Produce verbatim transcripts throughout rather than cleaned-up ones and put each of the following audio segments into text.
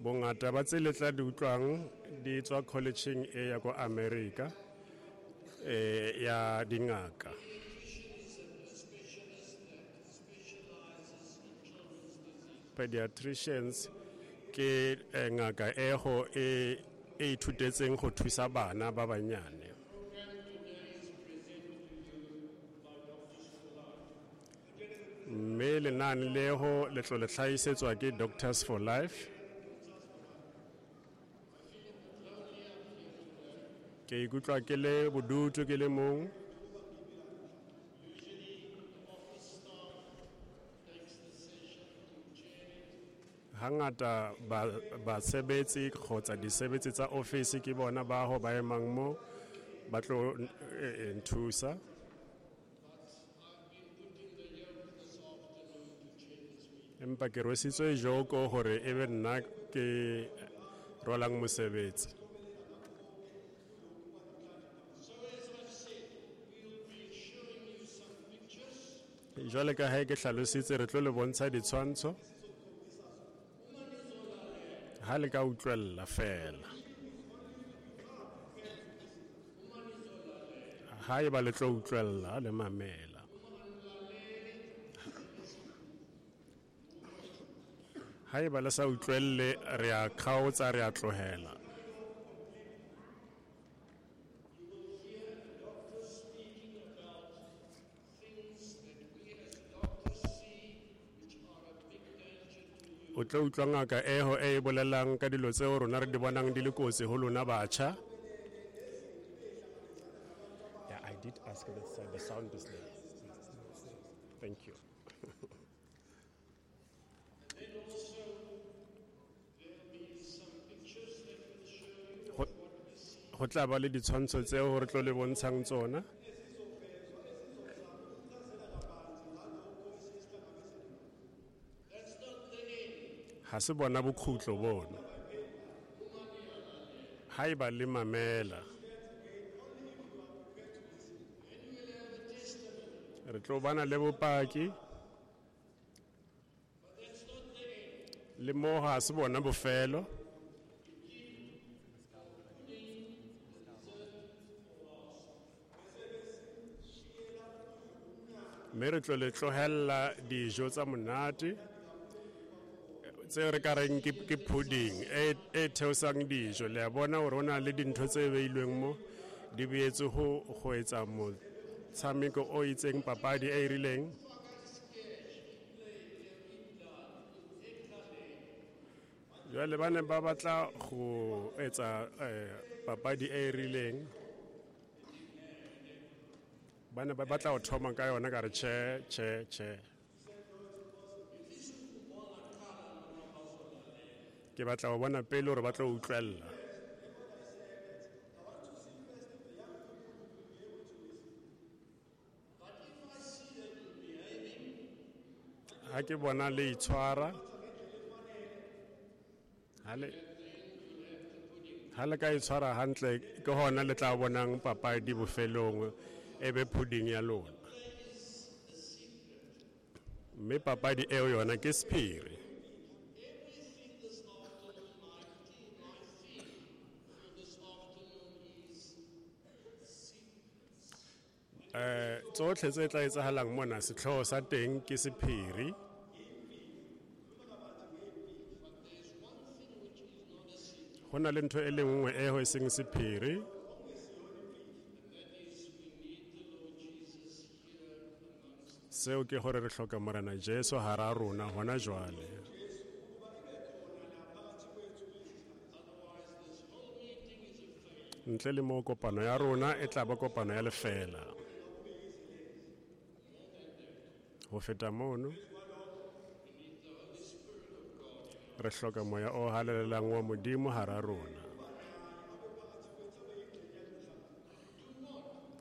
Bongata ba tse le tla di utlwang di tswa collegeng e ya ko America eh ya dingaka. Pediatricians ke ngaka e go e e ithutetseng go thusa bana ba banyane. Mme lenane leo le tlo le hlahisetswa ke Doctors for Life. Ke ikutlwa ke le bodutu ke le mong. Hangata ba basebetsi kgotsa disebetsi tsa office ke bona ba ho ba emang mo ba tlo nthusa. Empa ke rwesitswe joko hore e be nna ke rwalang mosebetsi. Jwale ka ha ke hlalositse re tlo le bontsha ditshwantsho. Ha le ka utlwella fela. Ha eba le tlo utlwella le mamela. Ha eba le sa utlwelle re a kgaotsa re a tlohela. O tlo utlwa ngaka eho e bolelang ka dilo tseo rona re di bonang di le kotsi ho lona batjha. Yeah, I did ask the, the sound is there. Thank you. Go tla ba le ditshwantsho tseo re tlo le bontshang tsona. Ha se bona bokhutlo bona. Haeba le mamela. Re tlo bana le bopaki. Le mo ha se bona bofelo. Mme re tlo le tlohella dijo tsa monate tse re ka reng ke ke pudding e e theosang dijo. Le a bona hore hona le dintho tse beilweng mo di beetswe ho go etsa motshameko o itseng, papadi e rileng. Jwale ba ne ba batla go etsa papadi e rileng, ba ne ba batla ho thoma ka yona, ka re tjhe tjhe tjhe. Ke batla ho bona pele hore ba tlo utlwella. Ha ke bona le itshwara, ha le ha le ka itshwara hantle, ke hona le tla bonang papadi bofelong e be pudding ya lona. Mme papadi eo yona ke sephiri. Eh tsohle tse tla etsahalang mona sehlooho sa teng ke sephiri. Ho na le ntho e le nngwe e ho seng sephiri. Seo ke hore re hloka Morena Jesu hara rona hona jwale. Ntle le mo kopano ya rona e tla ba kopano ya lefela. Ho feta mono re hloka moya o halalelang wa Modimo hara rona.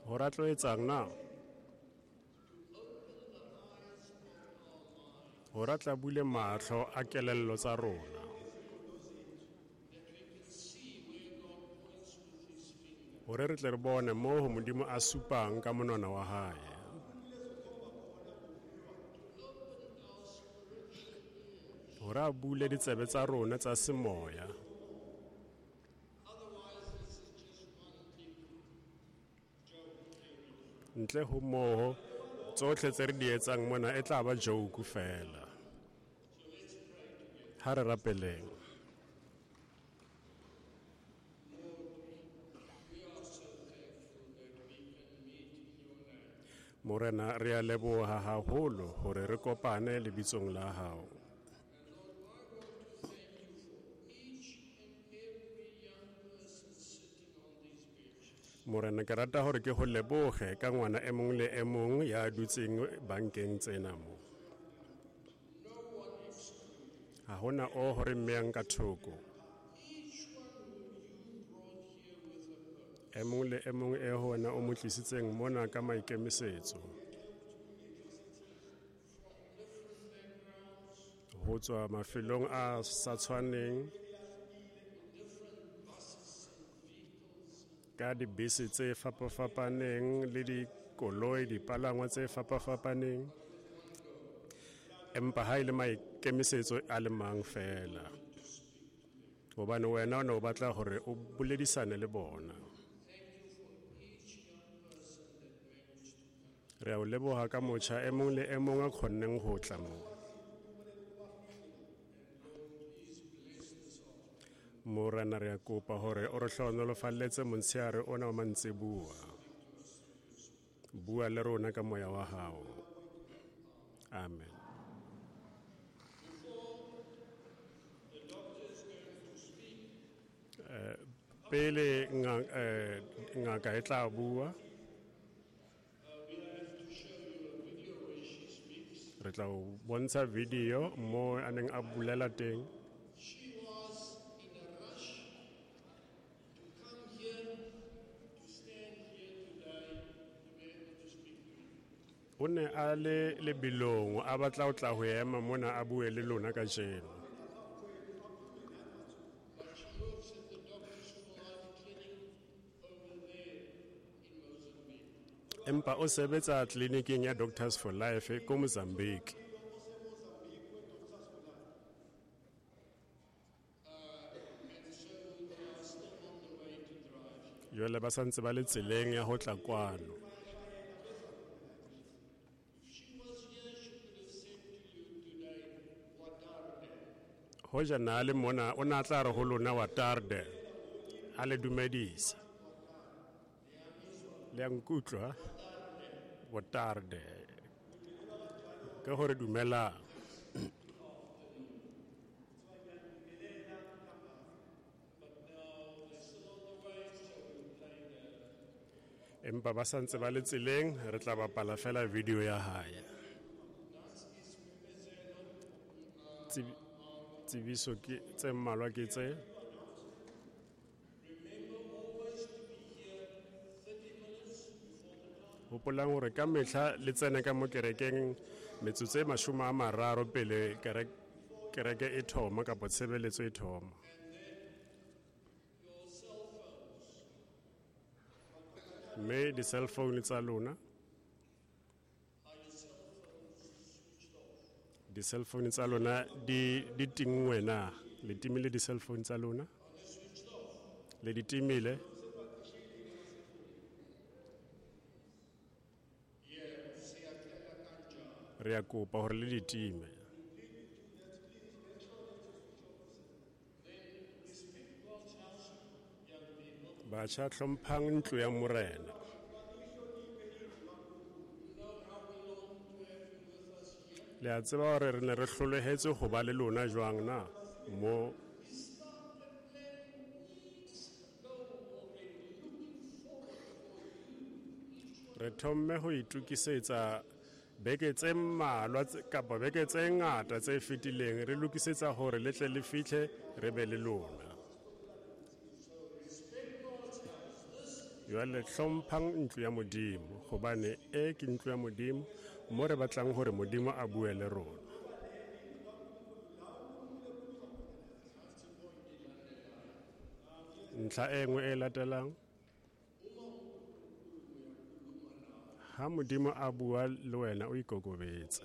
Ho ra tlo etsang na? Ho ra tla bule mahlo a kelello tsa rona. Hore re tle re bone moo ho Modimo a supang ka monwana wa hae. Hore a bule ditsebe tsa rona tsa semoya. Ntle ho moo, tsohle tse re di etsang mona e tla ba joke fela. Ha re rapeleng. Morena, re a leboha haholo hore re kopane lebitsong la hao. Morena, ke rata hore ke ho lebohe ka ngwana e mong le e mong ya dutseng bankeng tsena mo. Ha hona o hore mmeyang ka thoko. E mong le e mong e ho wena o mo tlisitseng mona ka maikemisetso. Ho tswa mafelong a sa tshwaneng, ka dibese tse fapafapaneng le dikoloi, dipalangwa tse fapafapaneng. Empa ha e le maikemisetso a le mang fela. Hobane wena o ne o batla hore o boledisane le bona. Re a o leboha ka motjha e mong le e mong a kgonneng ho tla mo. Morena, re a kopa hore o re hlohonolofalletse motsheare ona wa mantsiboa. Bua le rona ka moya wa hao. Amen. Eh, pele eh, ngaka e tla bua, re tla o bontsha video mo a neng a bulela teng. O ne a le lebelong, a batla ho tla ho ema mona a bue le lona kajeno. Empa o sebetsa tleliniking ya Doctors for Life ko Mozambique. Jwale ba sa ntse ba le tseleng ya ho tla kwano. Hoja na le mona o na tla re ho lona wa tarde, a le dumedisa. Le a nkutlwa? Wa tarde. Ke hore dumela. Empa ba sa ntse ba le tseleng, re tla bapala fela video ya hae. Tsebiso ke tse mmalwa ke tse. Hopolang hore ka mehla le tsene ka mo kerekeng metsotso e mashome a mararo pele kereke e thoma kapa tshebeletso e thoma. Mme di-cell phone tsa lona, di-cell phone tsa lona di di tinngwe na? Le timile di-cell phone tsa lona? Le di timile? Re a kopa hore le di time. Batjha, hlomphang ntlo ya Morena. Le a tseba hore re ne re hlolohetswe ho ba le lona jwang na mo? Re thomme ho itokisetsa beke tse mmalwa kapa beke tse ngata tse fetileng, re lokisetsa hore le tle le fihle re be le lona. Jwale hlomphang ntlo ya Modimo, hobane e ke ntlo ya Modimo mo re batlang hore Modimo a bue le rona. Ntlha e nngwe e latelang, ha Modimo a bua le wena o ikokobetse.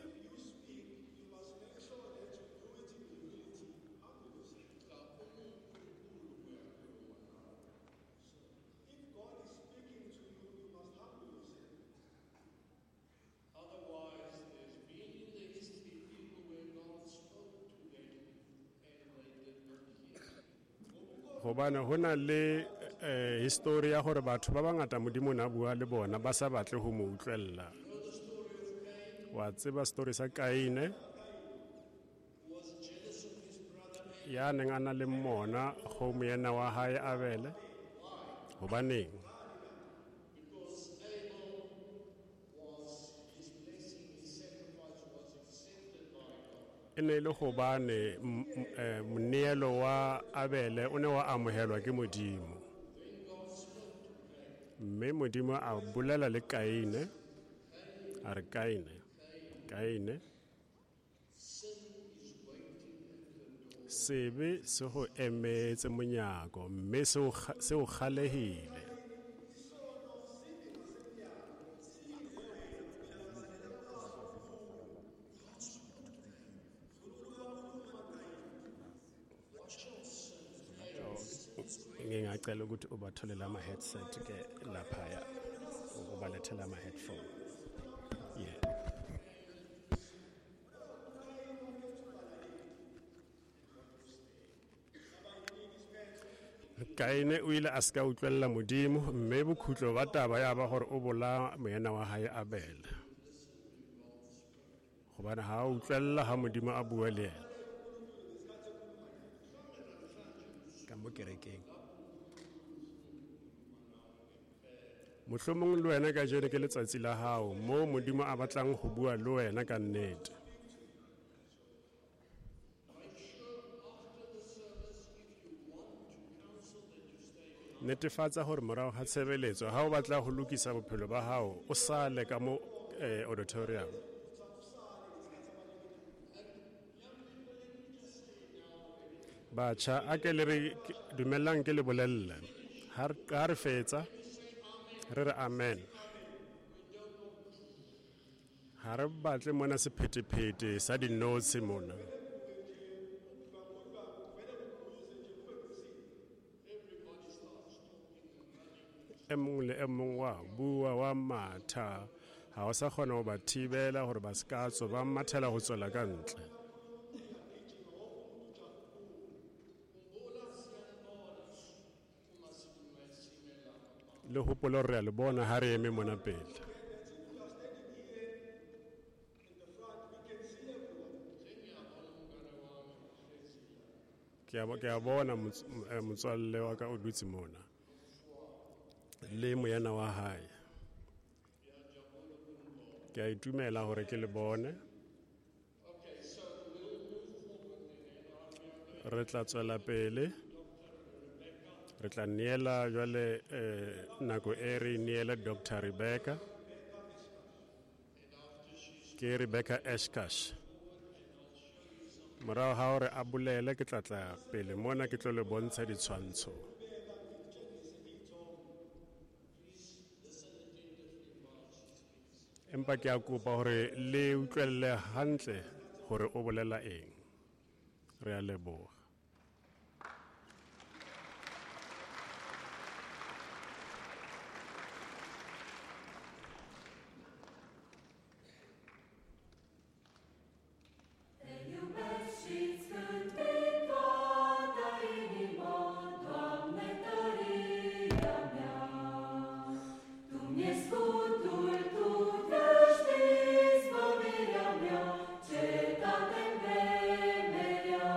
Gobane ho na le eh, history ya gore batho ba bangata Modimo na bua le bona ba sa batle ho mo utlwella. Wa tseba story sa Kaine ya neng a na le mona go moena wa hae Abele. Hobaneng? E ne e le gobane moneelo wa Abele o ne wa amohelwa ke Modimo. Mme Modimo a bolela le Kaine, a re Kaine, Kaine, sebe se go emetse monyako mme se o kgalehile. Ngingacela ukuthi ubatholele ama-headset ke laphaya, ubalethele ama-headphone. Yeah. Kaine o ile a se ka utlwella Modimo mme bokhutlo ba taba ya ba gore o bolaya moena wa hae Abele. Gobane ha a utlwella ha Modimo a bua le yena. Ka mo kerekeng. Mohlomong le wena kajeno ke letsatsi la hao moo Modimo a batlang ho bua le wena ka nnete. Netefatsa hore morao ga tshebeletso ha o batla ho lokisa bophelo ba hao o sale ka mo eh, auditorium. Batjha a ke le re dumellang ke le bolelle ha re fetsa re re amen. Ha re batle mona sephetephete sa dinotshi mona. E mong le e mong wa bua wa matha, ha o sa kgona ho ba thibela hore ba se ka tswa, ba mathela ho tswela ka ntle. Le hopole hore re a le bona ha re eme mona pele. Ke a bona motswalle wa ka o dutse mona le moena wa hae. Ke a itumela hore ke le bone. Re tla tswela pele. Re tla neela jwale eh, nako e re neela Doctor Rebecca. Ke Rebecca Eshkash. Morao ha hore a bolele ke tla tla pele mona ke tlo le bontsha ditshwantsho. Empa ke a kopa hore le utlwelle hantle hore o bolela eng. Re a leboha. Cetate-n vremerea.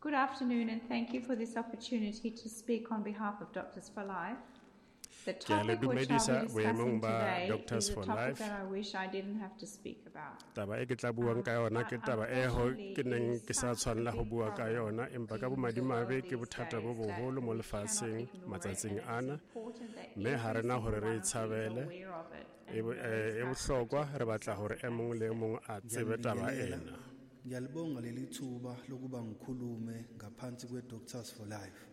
Good afternoon, and thank you for this opportunity to speak on behalf of Doctors for Life. The Ke a le topic which dumedisa I'll be discussing boemong ba today Doctors is a for topic Life. that I wish I didn't have to speak about. Taba e ke tla buang ka yona ke But taba e ho unfortunately, ke neng it is ke sa such a tshwanela ho big bua ka problem yona, empa ka in the bomadimabe world ke these bothata bo days that boholo mo we cannot lefatsheng ignore it, matsatsing and it is ana, important that mme ha every rena hore single re one e of you is tshabele. aware of it E and bo- knows eh, e how to bohlokwa, protect re batla themselves hore e mong against le e it. mong a tsebe taba Ngiyalibingelela. ena. Ngiyalibonga leli thuba lokuba ngikhulume ngaphansi kwe-Doctors for Life.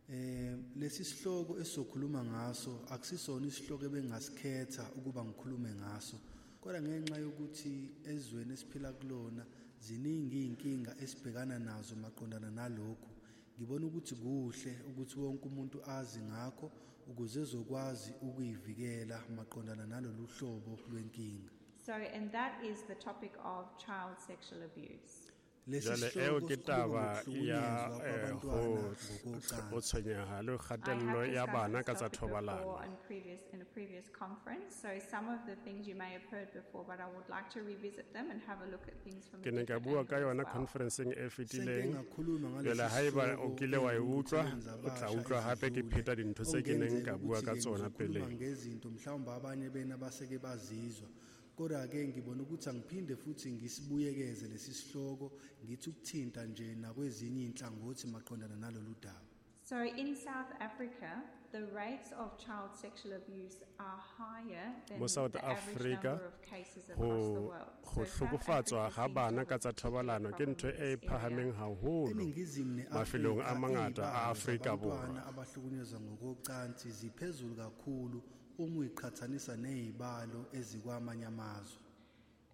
Eh lesi sihloko esizokhuluma ngaso akusisona isihloko ebengasikhetha ukuba ngikhulume ngaso. Kodwa ngenxa yokuthi ezweni esiphila kulona ziningi izinkinga esibhekana nazo maqondana nalokhu, ngibona ukuthi kuhle ukuthi wonke umuntu azi ngakho ukuze ezokwazi ukuyivikela maqondana nalolu hlobo lwenkinga. So, and that is the topic of child sexual abuse. Lesi Jwale eo sihloko ke sikhuluma taba ya ngokuhlukunyezwa eh, ho kwabantwana ho ngokocansi. tshwenyeha le I kgatello have ya discussed bana this ka tsa topic before thobalano. in previous, in a previous conference, so some of the things you may have heard before, but I would like to revisit them and have a look at things from a Ke ne ka different bua ka angle as yona well. conferenceng e Senke fetileng. ngakhuluma Jwale ngalesi haeba o sihloko kile wa e utlwa, ey'ngqungqutheleni o tla zabasha utlwa hape ke ezidlule, pheta dintho tse ke neng okungenzeka ka bua ka ukuthi-ke tsona ngizokhuluma peleng. ngezinto mhlawumbe abanye bena baseke bazizwa. Kodwa-ke ngibona ukuthi angiphinde futhi ngisibuyekeze lesi sihloko ngithi ukuthinta nje nakwezinye iy'nhlangothi maqondana nalolu daba. So in South Africa, the rates of child sexual abuse are higher than Mo South the average Africa, number of cases across the Ho world. ho So South hlokofatswa Africa ha seems to bana have ka a tsa particular thobalano ke problem ntho in e this area. phahameng haholo ENingizimu mafelong a ne-Afrika mangata a iy'balo Afrika zabantwana Borwa. abahlukunyezwa ngokocansi ziphezulu kakhulu uma uyiqhathanisa ney'balo ezikwamanye amazwe.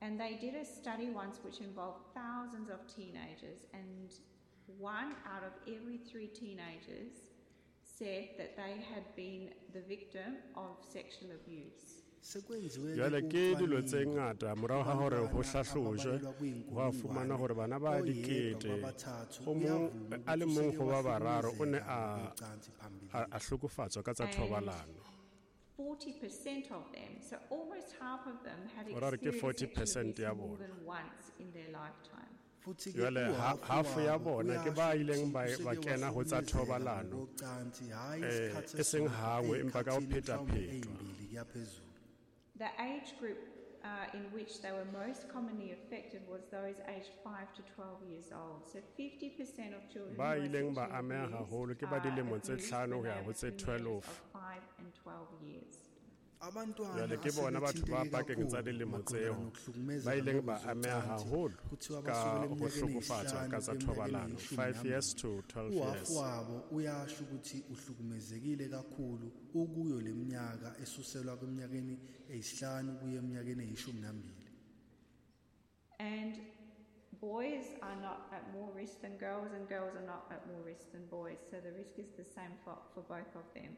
And they did a study once which involved thousands of teenagers, and one out of every three teenagers said that they had been the victim of sexual abuse. Sekwenziwe-ke Jwale ke dilo tse ucwaningo ngata morao ha hore ho kubantwana hlahlojwe, ababalelwa ho a fumana kwiyinkulungwane, hore bana ba oyedwa dikete kwabathathu o mong uyavuma a le ukuthi mong useke ho ba bararo o ne wahlukumezeka a ngokocansi a phambilini. a hlokofatswa ka tsa And thobalano. forty percent of them, so almost half of them, had Ho ra re ke experienced forty sexual percent abuse ya more bona. than once in their lifetime. Futhi-ke Jwale ha- uhafu half ya wabo bona ke uyasho ba ileng ukuthi ba useke ba kena ho tsa wahlukumezeka thobalano, ngokocansi, hhayi eh, isikhathi e seng esisodwa, hangwe empa ka ho ey'khathini mhlawumbe phetaphetwa. ey'mbili kuya phezulu. The age group uh, in which they were most commonly affected was those aged five to twelve years old. So fifty percent of children Ba who are ileng ba sexually ameha abused haholo ke ba are dilemo tse abused hlano when ho ya they are ho tse between the ages twelve. of five and twelve years. Abantwana Jwale ke bona batho ba asebethinteke pakeng tsa kakhulu dilemo maqondana tseo nokuhlukumezeka ba ileng ba ameha ngokocansi, haholo kuthiwa ka basukela ho eminyakeni hlokofatswa eyisihlanu ka tsa kuya eminyakeni thobalano, eyishumi five nambili. years to twelve Uhafu years. wabo uyasho ukuthi uhlukumezekile kakhulu ukuyo leminyaka esuselwa kwiminyakeni eyisihlanu kuya eminyakeni eyishumi nambili. And boys are not at more risk than girls, and girls are not at more risk than boys. So the risk is the same for, for both of them.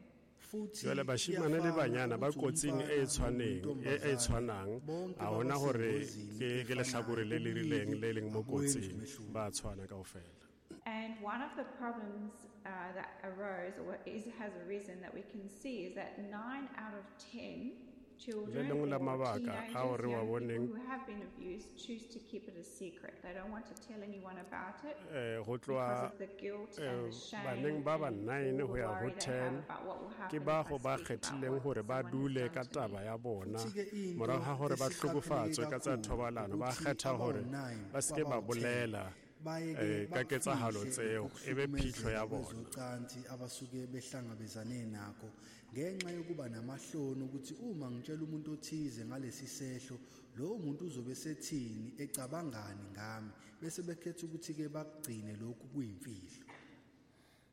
Futhi Jwale bashimane le kuyafana banyana ba ukuthi kotsing e umfana tshwaneng, e, e nontombazane tshwanang. bonke Ha hona baba hore sengozini ke, ke efanayo, lehlakore le le rileng ubulili le leng mo abwenzi kotsing, umehluko. ba tshwana kaofela. And one of the problems uh, that arose or is, has arisen that we can see is that nine out of ten children Le lengwe la or mabaka ao teenagers, re wa young people boneng who have been abused choose to keep it a secret. They don't want to tell anyone about it Eh, ho because tloha of the guilt and eh, the shame baneng ba ba and nine all ho the ya ho worry they have ten, about what will ke happen ba if I go ba speak about kgethileng what hore ba someone has dule done ka to me. taba ya bona Futhi-ke into morago ha hore ba esiqapheleke hlokofatswe ka tsa kakhulu thobalano, ba ukuthi kgetha hore abawu-nine ba se ke ba kwabawu-ten bolela bayeke eh, ka ketsahalo bakufihle tseo, e be phitlho ya ukuhlukumezeka bona. kwezocansi abasuke behlangabezane nakho ngenxa yokuba namahloni ukuthi uma ngitshela umuntu othize ngalesi sehlo lowo muntu uzobe sethini ecabangani ngami bese bekhetha ukuthi-ke bakugcine lokhu kuyimfihlo.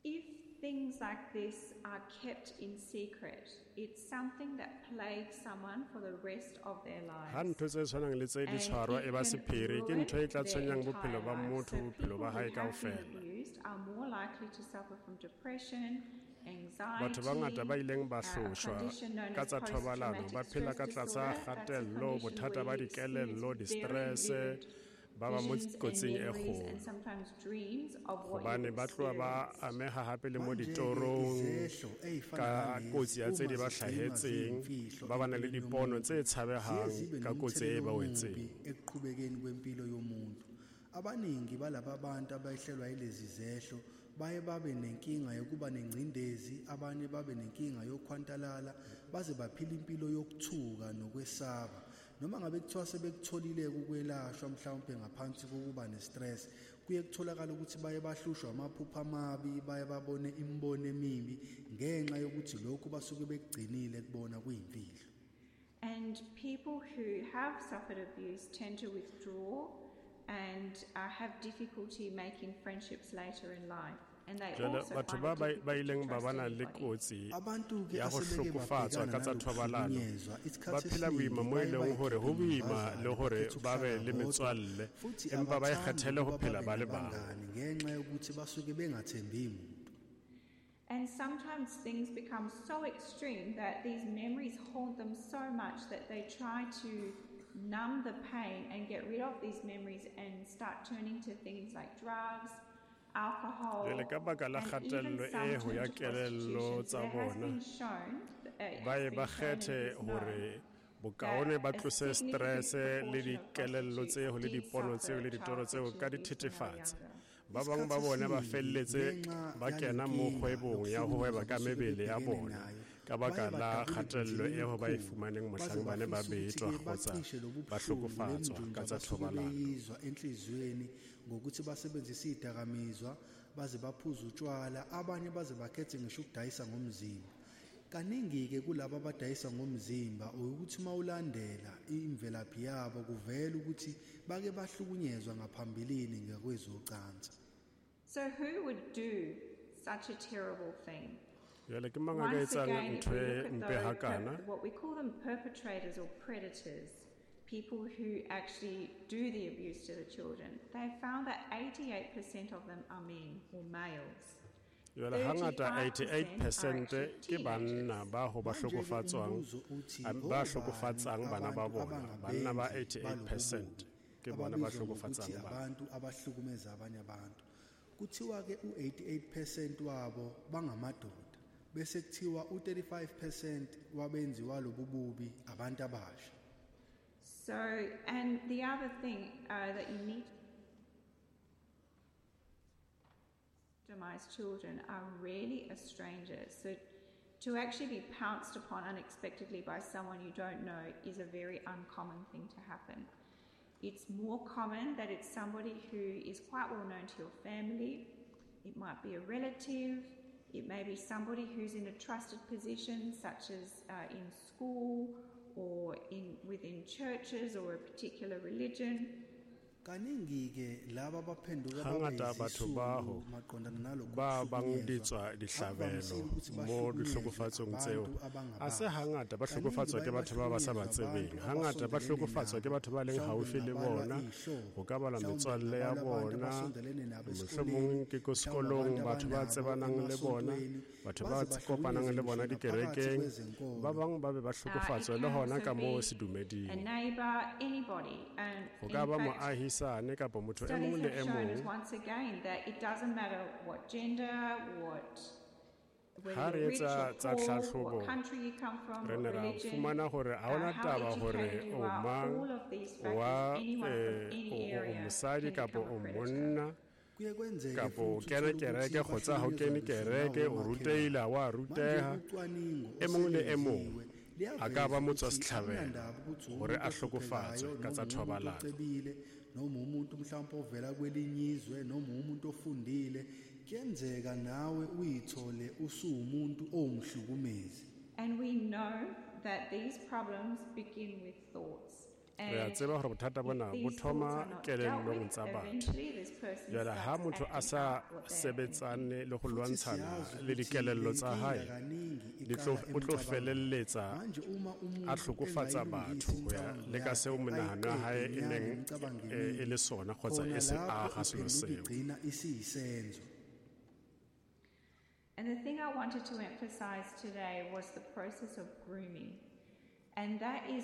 If things like this are kept in secret, it's something that plagues someone for the rest of their Ha lives. ntho tse tshwanang le tse di And tshwarwa it e ba can sephiri, ke ruin ntho e tla their tshwenyang entire bophelo ba life. motho, So bophelo people ba who hae have been kaofela. abused are more likely to suffer from depression, Batho ba ngata ba anxiety, ileng ba uh, a hloshwa condition known ka as tsa thobalano post-traumatic ba phela stress ka tlasa disorder. That's a kgatello, condition bothata where ba you experience dikelello, very di-stress, vivid ba ba mo visions and kotsing e memories kgolo. and sometimes dreams of what Hobane you've ba tloha ba experienced. ameha hape le mo Manje-ke ditorong izehlo ey'fana ka nalezi kotsi ya tse di uma ba zigcinwa hlahetseng, ziyimfihlo ba bana le empilweni dipono yomuntu, tse ziye tshabehang zibe ka kotsi e nomthelela ba omubi wetseng. ekuqhubekeni kwempilo yomuntu. Abaningi balaba bantu abayehlelwa yilezi zehlo baye babe nenkinga yokuba nengcindezi, abanye babe nenkinga yokhwantalala, baze baphila impilo yokuthuka nokwesaba. Noma ngabe kuthiwa sebekutholile ukwelashwa mhlawumbe ngaphansi kokuba ne-stress, kuye kutholakala ukuthi baye bahlushwa amaphupho amabi, baye babone imibono emibi ngenxa yokuthi lokhu basuke bekugcinile kubona kuyimfihlo. And people who have suffered abuse tend to withdraw and uh, have difficulty making friendships later in life. And they Jwale also batho find ba it ba difficult ba to ileng ba trust bana le anybody. kotsi Abantu-ke ya go asebeke hlokofatswa babhekana ka tsa thobalano nalokuhlukunyezwa, ba isikhathi phela boima esiningi mo e baye leng hore ho bayikhiphe boima inyumbazane, le hore bakhethe ba be ukuhlala le bodwa, metswalle, futhi empa ba abathandi ikgethele ho ukuba phela babe ba le bang. nabangani ngenxa yokuthi basuke bengathembi muntu. And sometimes things become so extreme that these memories haunt them so much that they try to numb the pain and get rid of these memories and start turning to things like drugs, alcohol, Jwale ka baka la and even kgatello some e ho turn ya to kelello prostitution. tsa So there has bona, been shown, uh, it ba has ye been ba shown and kgethe it is known hore bokaone ba that a tlose significant stress le proportion of dikelello prostitutes tseo le did dipono tseo suffer le ditoro child tseo sexual ka abuse when they were dithethefatsi. younger. Ba bang ba Isikhathi bona ba esiningi felletse ngenxa ba kena mo yalenkinga kgwebong ya ho hweba yokuhlukunyezwa ka abasuke mebele ya bebhekene bona nayo, ka baka baye la badabule kgatello ebunzimeni eo ba e obukhulu, fumaneng baze mohlang ba ne ba bafise betwa ukuthi-ke kgotsa bacishe lobu ba buhlungu hlokofatswa lemjunju ka tsa abasuke thobalano. beyizwa enhliziyweni ngokuthi basebenzise izidakamizwa, baze baphuze utshwala, abanye baze bakhethe ngisho ukudayisa ngomzimba. Kaningi-ke kulabo abadayisa ngomzimba ukuthi uma ulandela imvelaphi yabo kuvela ukuthi bake bahlukunyezwa ngaphambilini ngakwezocansi. So who would do such a terrible thing? Jwale ke mang a ka Once etsang again, if ntho we e look at mpe those hakana? perp- what we call them perpetrators or predators, people who actually do the abuse to the children, they found that eighty-eight percent of them are men or males. Jwale hangata thirty-five eighty-eight percent percent are actually ke banna teenagers. ba ho ba Manje-ke hlokofatswang, umbuzo uthi, a, ba obani hlokofatsang bana ba abantu bona? Banna ba abangabenzi eighty-eight percent balobu ke bona ba ababizwa ngokuthi hlokofatsang bana. abantu abahlukumeza abanye abantu. Kuthiwa-ke u-eighty-eight percent wabo bangamadoda, bese kuthiwa u-thirty-five percent wabenzi walobu bubi abantu abasha. So, and the other thing, uh, that you need to victimize children are rarely a stranger. So to actually be pounced upon unexpectedly by someone you don't know is a very uncommon thing to happen. It's more common that it's somebody who is quite well known to your family. It might be a relative. It may be somebody who's in a trusted position, such as, uh, in school or in within churches or a particular religion. Kaningi-ke laba abaphenduka babe Hangata batho ba ho izisulu maqondana nalokhu ba bang kuhlukunyezwa, di tswa dihlabelo akuvamisile ukuthi mo bahlukunyezwe dihlokofatsong tseo. abantu Ha se abangabazi. hangata ba Kaningi hlokofatswa ke baye batho ba ba sa ba bahlukunyezwe tsebeng. abantu Hangata ba abasondelene hlokofatswa ke nabo, batho ba leng mhlawumbe haufi le ngabalwa bona. iy'hlobo, Ho ka balwa mhlawumbe metswalle ya ngabalwa abantu bona, abasondelene nabo mohlomong esikoleni, ke ko mhlawumbe sekolong abantu batho ba abanabo tsebanang le bona, emasontweni, batho ba baze kopanang bahlukunyezwe le bona ngisho naphakathi dikerekeng. kwezenkolo. Ba bang ba be ba Uh, it hlokofatswe le can hona also ka moo be a sedumeding. neighbour, anybody. And Ho ka in ba fact, moahisane kapa motho e studies mong le have e shown us mong. once again that it doesn't matter what gender, what, whether Ha re you're rich etsa or tsa poor, tlhahlobo, what country you come from, re what ne ra religion, fumana hore ha uh, hona how taba hore educated you o are, mang, all of these o wa, factors, anyone from eh, any o, o, o area mosadi can kapa become a o predator. monna, Kuye kwenzeke kapa o futhi kena uthole ukuthi kereke kgotsa ha o bahlukunyezwa kene ngisho kereke, nawo o omakhelwane. rutehile, ha wa Manje ruteha. ucwaningo E mong le e mong oselwenziwe a ka liyaveza ba motswa ukuthi setlhabelo akunandaba ukuthi hore umuntu a hlokofatswe ohluphekayo ka tsa noma umuntu thobalano. ocebile noma umuntu mhlawumbe ovela kwelinye izwe noma umuntu ofundile, kuyenzeka nawe uyithole usuwumuntu owumhlukumezi. And we know that these problems begin with thoughts. Re a And tseba hore bothata if bona bo these thoughts thoma are not dealt kelellong with, tsa batho. eventually this person Jwale ha starts motho a acting sa out what they are thinking. sebetsane le ho Futhi lwantshana siyazi le ukuthi dikelello le tsa nkinga hae, kaningi di tlo, iqala o tlo emcabangweni. felelletsa Manje uma a umuntu hlokofatsa engayilungisi batho ho ya imicabango le ka yakhe, seo menahano ya hae ayiqede e nyalo neng, imicabango eh, e emibi, le sona kgotsa khona e se lapho aha selo iphenduka seo. igcina isiyisenzo. And the thing I wanted to emphasize today was the process of grooming. And that is,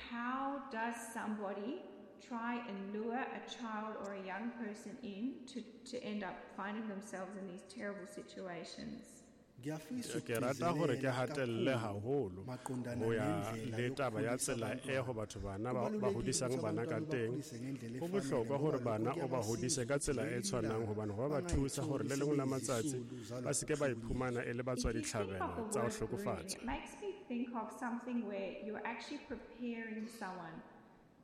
how does somebody try and lure a child or a young person in to, to end up finding themselves in these terrible situations? Ngiyafisa Ke rata hore ke ukugcizelela hatelle kakhulu haholo maqondana ho ya nendlela le taba ya yokukhulisa tsela e abantwana. ho batho bana ba ba Kubalulekile hodisang ukuthi bana ka abantwana teng. bakhulise ngendlela Ho efanele bohlokwa hore ngoba bana lokho o ba hodise kuyabasiza ka tsela ukuthi e ngelinye tshwanang ilanga hobane ho ba thusa hore bangayitholi le lengwe la matsatsi sebeyizisulu ba zalokhu se ke ba kuhlukunyezwa. iphumana e le If batswa you think of ditlhabelo the tsa ho word grooming, hlokofatswa. it makes me think of something where you're actually preparing someone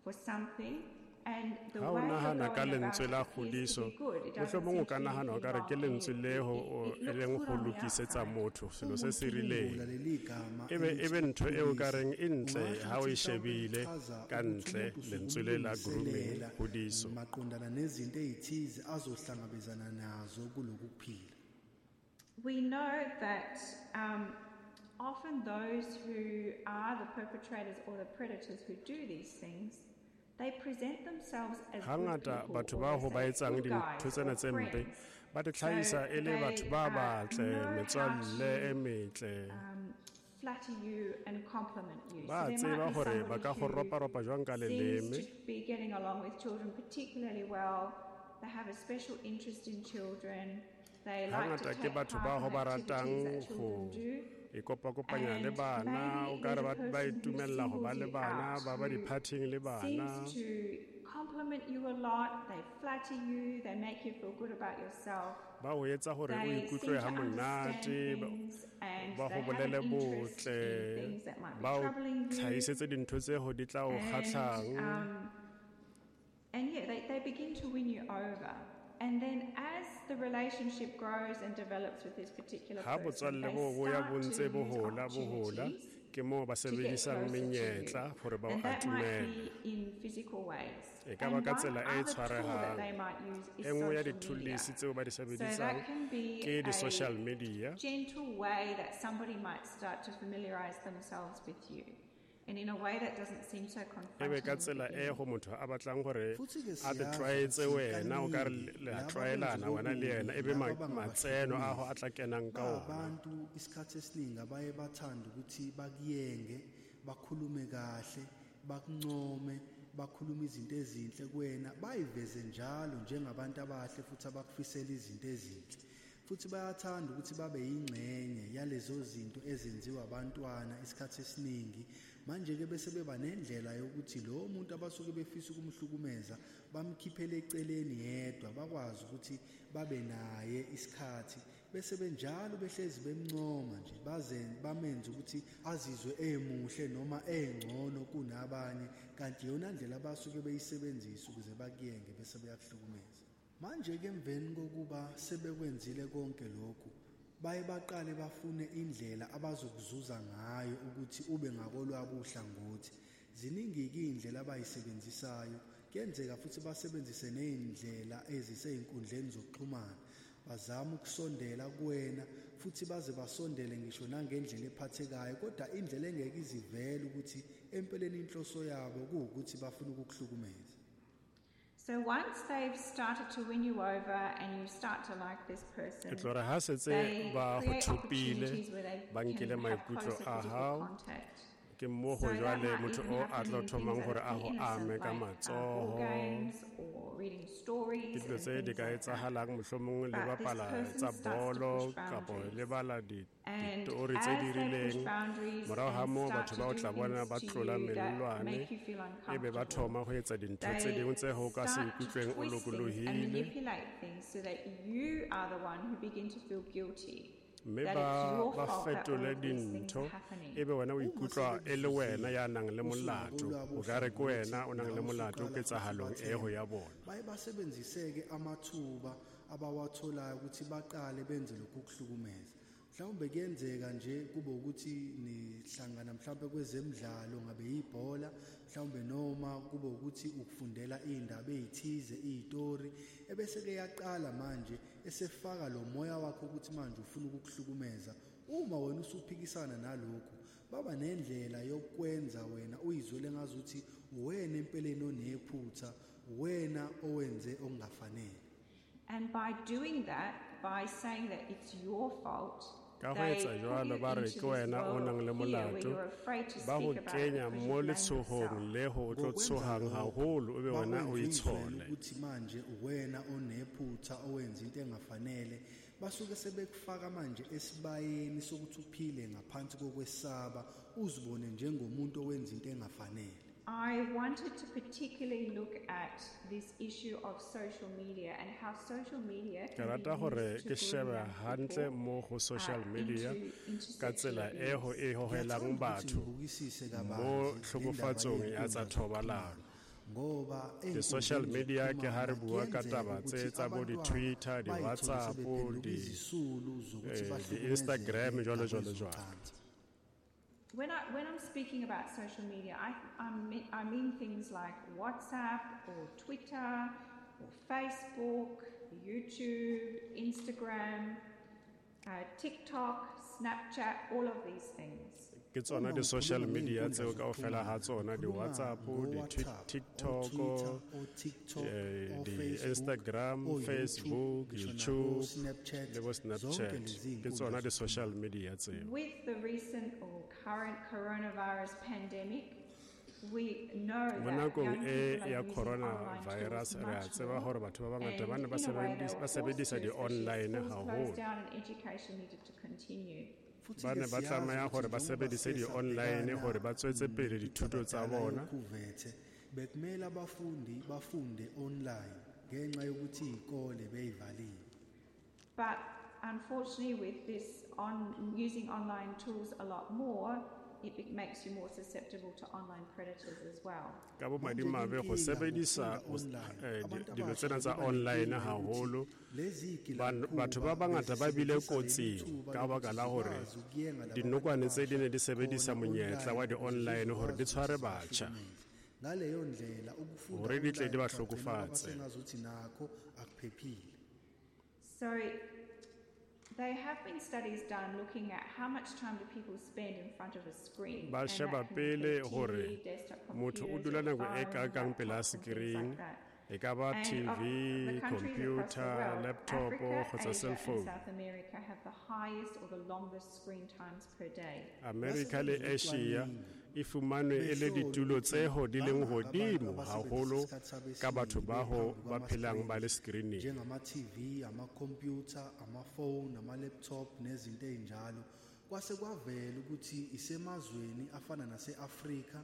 for something and the Ha o way you're nahana ka going about lentswe it la appears to kgodiso, be good. It doesn't mohlomong o seem ka to be nahana anything okare ke wrong. lentswe It, le ho it, o it e looks leng good ho on the lokisetsa outside. motho selo Uma se se rileng. ucubungula leli gama Ebe elithi ebe ntho eo ka ukukhulisa, reng e ntle ungasho ha o ukuthi e mhlawumbe shebile lichaza ka ukuthi ntle umuntu usuke lentswe le la grooming, umlungiselela kgodiso. maqondana nezinto ey'thize azohlangabezana nazo kulokhu kuphila. We know that um, often those who are the perpetrators or the predators who do these things, they present themselves as good Hangata people, batho or bao they ho ba say etsang good dintho guys tsena or tse mpe friends. ba di So tlhahisa e le batho they ba uh, batle, know how metswalle e to metle. um, flatter you and compliment you. So Ba there tseba might be hore ba somebody ka go who roparopa jwang ka seems leleme. to be getting along with children particularly well. They have a special interest in children. They like to Hangata ke take batho part bao in ho ba activities ratang that ho children do. ikopakopanya le And bana, maybe o ka re there's a ba ba person who itumella ho ba singles le you bana, out, ba ba who di-party-ing le bana. seems to compliment you a lot, they flatter you, they make you feel good about yourself. Ba o etsa hore o They seem ikutlwe to ha understand monate, ba things and ba they ho have bolele an interest in botle, things that might be ba o troubling you. tlhahisetse dintho tse ho di tla o And, kgahlang. um, and yeah, they, they begin to win you over. And then as the relationship grows and develops with this particular Ha person, botswalle they bo bo ya start bo to ntse bo use hola bo hola, opportunities ke moo ba to get sebedisang closer to you. menyetla hore ba o And that might atumele. be in physical ways. E ka ba And ka one tsela e other tool that tshwarehang. they might use is E nngwe ya social media. dithulisi tseo ba di So sebedisang that can be ke a di-social media. gentle way that somebody might start to familiarize themselves with you, and in a way that doesn't seem so E be confronting ka in the tsela e beginning. go motho a batlang hore Futhi-ke a te siyazi tlwaetse ukuthi wena, o ka re kaningi le a laba abenza tlwaelana wena le okubi yena, e be laba ma- matseno a ho abangabahlukumezi a tla kenang ka ona. babantu isikhathi esiningi abaye bathande ukuthi bakuyenge, bakhulume kahle, bakuncome, bakhulume izinto ezinhle kuwena, bayiveze njalo njengabantu abahle futhi abakufisela izinto ezinhle. Futhi bayathanda ukuthi babe yingxenye yalezo zinto ezenziwa abantwana isikhathi esiningi. Manje-ke bese beba nendlela yokuthi lowo muntu abasuke befisa ukumhlukumeza bamkhiphele eceleni yedwa, bakwazi ukuthi babe naye isikhathi, bese benjalo behlezi bemncoma nje baze bamenze ukuthi azizwe emuhle noma engcono kunabanye, kanti iyona ndlela abasuke beyisebenzisa ukuze bakuyenge bese beyakuhlukumeza. Manje-ke emveni kokuba sebekwenzile konke lokhu, baye baqale bafune indlela abazokuzuza ngayo ukuthi ube ngakolwabo uhlangothi. Ziningi-ke iy'ndlela abayisebenzisayo. Kuyenzeka futhi basebenzise ney'ndlela ezisey'nkundleni zokuxhumana, bazame ukusondela kuwena futhi baze basondele ngisho nangendlela ephathekayo, kodwa indlela engeke izivele ukuthi empeleni inhloso yabo kuwukuthi bafuna ukukuhlukumeza. So once they've started to win you over and you start to like this person, E tlo re ha setse they ba go create thopile, opportunities where they ba can nkile have maikutlo closer a physical hao, contact. ke mo So ho that jwale might motho even o a happen tlo in thomang things hore that a are ho innocent, ame ka like uh, ball matsoho. games or reading stories Ke dilo and tse di things ka like that. etsahalang, mohlomong le But this bapala person tsa starts to bolo push kapo le boundaries. bala di- And ditori tse as di they push rileng. boundaries Morao ha and moo start batho to ba o do tla bona things ba to tlola you that mellwane, make you feel e be ba uncomfortable, thoma ho etsa dintho tse they dingwe tse ho ka se start to ikutlweng o twist things and lokolohile. manipulate things so that you are the one who begin to feel guilty, Mme that ba it's your ba fault that all fetole of these things dintho, are happening. ebe wena o Uma ikutlwa e le wena sebekuzuzile ya nang le molato, usungakolwabo o ka re ke uhlangothi wena o nang le nawe molato usuqala futhi ketsahalong eo ubathembe. ya bona. Baye basebenzise-ke amathuba abawatholayo ukuthi baqale benze lokhu kuhlukumeza. Mhlawumbe kuyenzeka nje kube ukuthi nihlangana mhlawumbe kwezemidlalo, ngabe yibhola mhlawumbe, noma kube ukuthi ukufundela iy'ndaba ey'thize, iy'tori, ebese-ke yaqala manje esefaka lo moya wakho ukuthi manje ufuna ukukuhlukumeza. Uma wena usuphikisana nalokhu, baba nendlela yokwenza wena uyizwele ngazuthi uwena empeleni onephutha, uwena owenze okungafanele. And by doing that, by saying that it's your fault, Ka ho they etsa put jwalo you ba re into ke this wena o world nang of le fear where molato, you're afraid to ba ho speak about it kenya because you mo blame letshohong yourself. le ho o tlo Ngokwenza tshohang lokho haholo, o be wena o bakwenza uyizwele itshole. ukuthi manje uwena onephutha owenza into engafanele. Basuke sebekufaka manje esibayeni sokuthi uphile ngaphansi kokwesaba, uzibone njengomuntu owenza into engafanele. I wanted to particularly look at this issue of social media and how social media Ke can be rata hore used to ke shebe groom young hantle people, mo ho social uh, media into, into ka sexual tsela e ho abuse. e hohelang Ngiyathanda ukuthi batho ngibukisise mo kabanzi le ndaba tlhokofatsong ya tsa yey'nkundla thobalano. ngoba Di-social ey'nkundleni media ke ha re zokuxhumana bua ka kuyenzeka taba ukuthi tse tsa bo abantwana di-Twitter, bayithole di-WhatsApp, sebephenduka di- izisulu zokuthi eh, bahlukumezeke di-Instagram, jwalo, jwalo, jwalo. ngakwezocansi. When, I, when I'm speaking about social media, I, I, mean, I mean things like WhatsApp or Twitter or Facebook, YouTube, Instagram, uh, TikTok, Snapchat, all of these things. Ke tsona Uma di-social ukhuluma media ngey'nkundla tseo kaofela ha zokuxhumana, tsona, ukhuluma di-WhatsApp, ngo-WhatsApp, di-TikTok, o-Twitter, o-TikTok, eh, o-Facebook, di-Instagram, o-YouTube, Facebook, ngisho YouTube, nabo-Snapchat, le bo zonke Snapchat. lezi Ke iy'nkundla tsona di-social zokuxhumana. media tseo. With the recent or current coronavirus pandemic, we know Mo that nakong young e people are ya using online tools coronavirus, re a much tseba more. hore batho ba bangata And ba ne ba in a way, they sebedis-, were ba forced sebedisa to, especially as di-online schools closed haholo. down and education needed to continue. Futhi Ba ke ne ba siyazi tlameha ukuthi hore ba njengoba sebedise siye di-online sabhekana hore ba tswetse pele dithuto tsa nentsabadala bona. yokhuvethe, bekumele abafundi bafunde online ngenxa yokuthi iy'kole bey'valiwe. But unfortunately, with this on using online tools a lot more, it be- makes you more susceptible to online predators as well. Ka bomadimabe Manje go inkinga sebedisa ngokufunda o s- online, eh, di- abantu dilo abasha tsena tsa beba online nenkinga yokuthi haholo, lezi ban- batho ba gilamkhuba bangata ba bile bezisebenzisa leli kotsing thuba ka baka lokuthi la hore zikwazi ukuyenga laba dinokwane bantu tse di ne di abasha sebedisa khona monyetla wa online ukuze di-online hore di zizokwazi tshware ukuthi batjha. zibahlukumeze. Ngaleyo ndlela ukufunda Hore di tle di online ba kwagcina kwaba hlokofatse. sengazuthi nakho akuphephile. So there have been studies done looking at how much time do people spend in front of a screen. Ba And sheba that can pele include hore T V, desktop motho o computers, dula your nako e phone, kakang pela laptops and things screen, like that. e ka ba And of T V, the countries across the computer, world, laptop Africa, kgotsa Asia cell and phone. South America have the highest or the longest screen times per day. America le Asia e fumanwe e le Behlolwa ditulo ukuthi tse ho di leng bangaki abantu hodimo abasebenzisa haholo isikhathi sabo ka batho esiningi ba ho bephambi ba phelang ba le kwama-screens, screening. njengama-T V, amakhompyutha, amafoni, ama-laptop nezinto ey'njalo. Kwase kwavela ukuthi isemazweni afana nase-Afrika,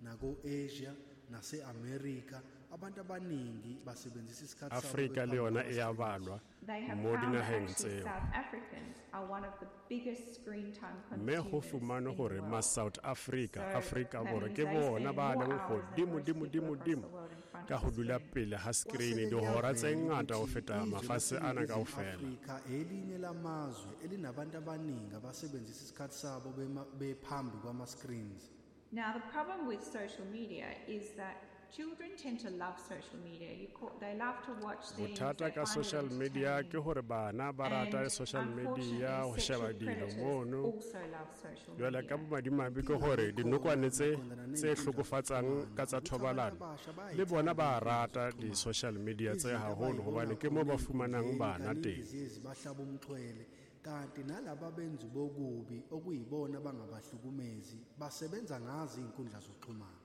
nako-Asia, nase-America, abantu abaningi basebenzisa isikhathi sabo Afrika le bephambi yona e ya kwama-screens. balwa They have mo found that dinaheng actually tseo. South Africans are one of the biggest screen time Mme ho consumers fumanwe in the hore world. ma South Africa, So Afrika that Borwa means ke they bona spend ba more leng hours than hodimo, most dimo, people dimo, across the dimo world in front ka of ho a dula screen. pele ha screen Kwase-ke dihora tse kuyavela ngata ho ukuthi feta izwe mafatshe ana laseNingizimu kaofela. Afrika elinye lamazwe elinabantu abaningi abasebenzisa isikhathi sabo bema- bephambi kwama-screens. Now, the problem with social media is that children tend to love social media. You call, they love to watch things. Bothata They ka find it social media ke entertaining. hore bana ba rata And social media unfortunately, ho sheba sexual dilo predators mono. also love social Jwale ka media. bomadimabe ke Inkinga hore ekhona dinokwane tse maqondana tse ney'nkundla hlokofatsang zokuxhumana ka tsa ukuthi abantu thobalano abasha le bona bayayithanda ba iy'nkundla rata zokuxhumana. di-social media tse Izinto haholo abay'bona hobane ke moo khona ba fumanang ey'nkundleni bana kaningi teng. ziye zibahlaba umxhwele kanti nalaba benzi bokubi okuyibona abangabahlukumezi basebenza ngazo iy'nkundla zokuxhumana.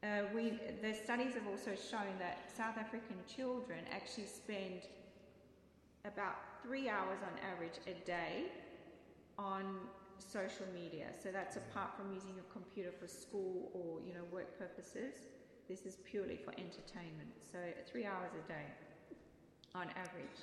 Uh, we, the studies have also shown that South African children actually spend about three hours on average a day on social media. So that's apart from using a computer for school or, you know, work purposes. This is purely for entertainment. So three hours a day on average.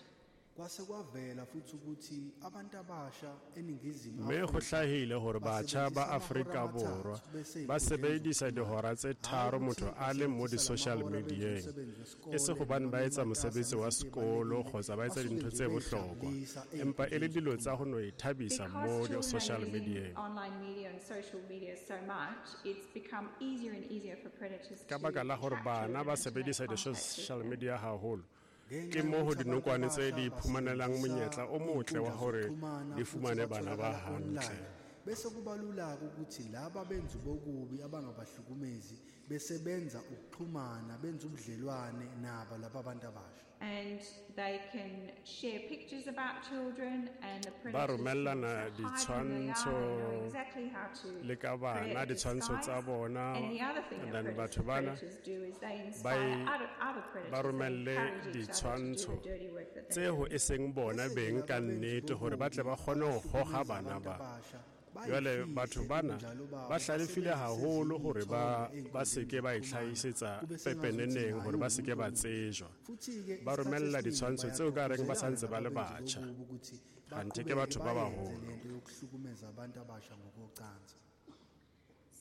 Kwase kwavela futhi ukuthi abantu abasha eNingizimu Mme ho Afrika hlahile hore batjha ba basebenzisa amahora Afrika Borwa amathathu bese ba ey'nkundleni sebedisa zokuxhumana. dihora tse Hhayi tharo ukuthi motho a le mo basebenzisa di-social lamahora benza media-eng. umsebenzi E se wesikole hobane noma ba etsa bematasa mosebetsi wa ngezinto sekolo ey'balulekile, kgotsa ba etsa basuke dintho nje tse bohlokwa, bey'jabulisa empa e le ey'nkundleni dilo tsa zokuxhumana. ho no ithabisa Because mo children are di-social using media-eng. online media and social media so much, it's become easier and easier for predators Ka to baka la hore trap bana children ba and to make sebedisa contact with di-social them. media haholo, Ngenxa ke moo ho yokuthi abantu dinokwane tse abasha di iphumanelang basebenzisa monyetla o motle wa iy'nkundla hore zokuxhumana di futhi fumane bana ba batholakala hantle. online. Bese kubalula ukuthi laba benza bokubi abangabahlukumezi bese benza ukuxhumana, benza ubudlelwane nabo laba abantu abasha. And they can share pictures about children and the Ba predators can romellana also hide who they are. They know ditshwantsho exactly how to le ka create bana, a ditshwantsho tsa disguise. bona, And the other thing and that then predators, batho bana predators do is they ba inspire e- other, other ba predators. They romelle encourage each other to do the ditshwantsho dirty work that they tseo do. e seng bona Bese beng laba ka benza nnete hore ba tle ba bokubi kgone ho hoga abahlukumeza bana abantu ba. abasha Jwale batho bayifihle bana ubunjalo babo, ba hlalefile basebenzise haholo hore ba izithombe ba se ke ey'nkundleni ba zokuxhumana, itlhahisetsa kube sengazuthi pepeneneng naye hore ba se ke ba uwumuntu omubi. tsejwa. Futhi-ke Ba isikhathi romella esiningi ditshwantsho tseo ka reng ba bayagqugquzelana santse ba le laba benzi batjha. bokubi ukuthi Kganthe ke baqhubeke batho ba bayenze baholo. lento yokuhlukumeza abantu abasha ngokocansi.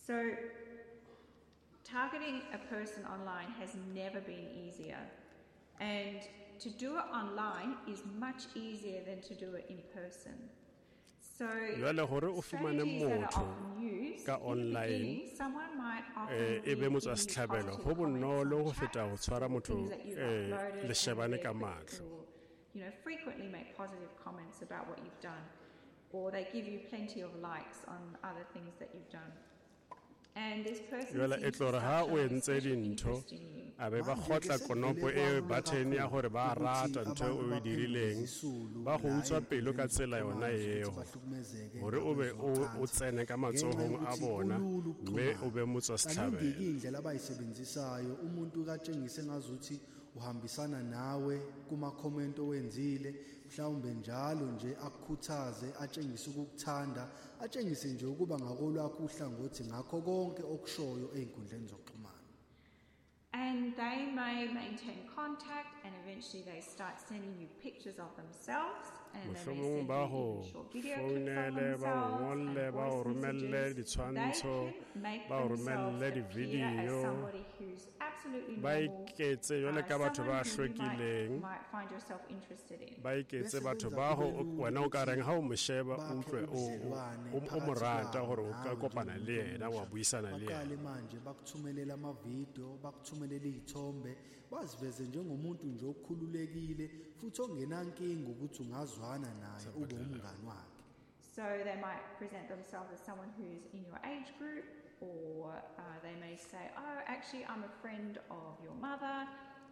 So targeting a person online has never been easier. And to do it online is much easier than to do it in person. So Jwale hore o fumane strategies that are motho often used ka in the online, beginning, someone might often eh, e be leave motswa giving you setlhabelo, positive ho comments bonolo on ho feta ho chats tshwara or motho, things that you've eh, uploaded, and leshebane they're ka quick mahlo. to, you know, frequently make positive comments about what you've done, or they give you plenty of likes on other things that you've done. And this person Jwale e seems to tlo re start ha o showing entse special dintho, interest in you. a be ba Manje-ke kgotla sekuvele konopo e kwalula button ya kakhulu hore ba ukuthi rata ntho abantu eo o e baphendule dirileng, izisulu ba go la utswa pelo ka ey'nkundleni tsela yona zokuxhumana ukuthi eo, bahlukumezeke hore o be o o ngakwezocansi tsene ka ngenxa matsohong a yokuthi bona, kulula mme o ukuxhumana. be motswa Kaningi-ke setlhabelo. indlela abayisebenzisayo umuntu katshengise ngazuthi uhambisana nawe kuma-comment owenzile, mhlawumbe njalo nje akukhuthaze, atshengise ukukuthanda, atshengise nje ukuba ngakolwakho uhlangothi ngakho konke okushoyo ey'nkundleni zokuxhumana. And they may maintain contact, and eventually they start sending you pictures of themselves, and they may Mohlomong send ba you ho even short video clips of founele, ba o themselves ngolle, and ba o voice romelle messages. They ditshwantsho, can make ba o themselves romelle appear as di-video, somebody who's absolutely ba normal, iketse jwale uh, ka batho someone ba who you might, hlwekileng, might find yourself interested in. ba iketse Bese batho benza ba kube ho lula wena o ka ukuthi reng ha o mo sheba o bakhe utlwe o o ubudlelwane o o mo phakathi rata kwabo hore o ka nawe kopana le njengomuntu yena wa omusha. buisana le Baqale yena. manje bakuthumelele amavidiyo, bakuthumelele iy'thombe, baziveze njengomuntu nje okhululekile futhi ongenankinga ukuthi ungazwana naye ube umngani wakhe. So they might present themselves as someone who's in your age group, or uh, they may say, oh, actually, I'm a friend of your mother,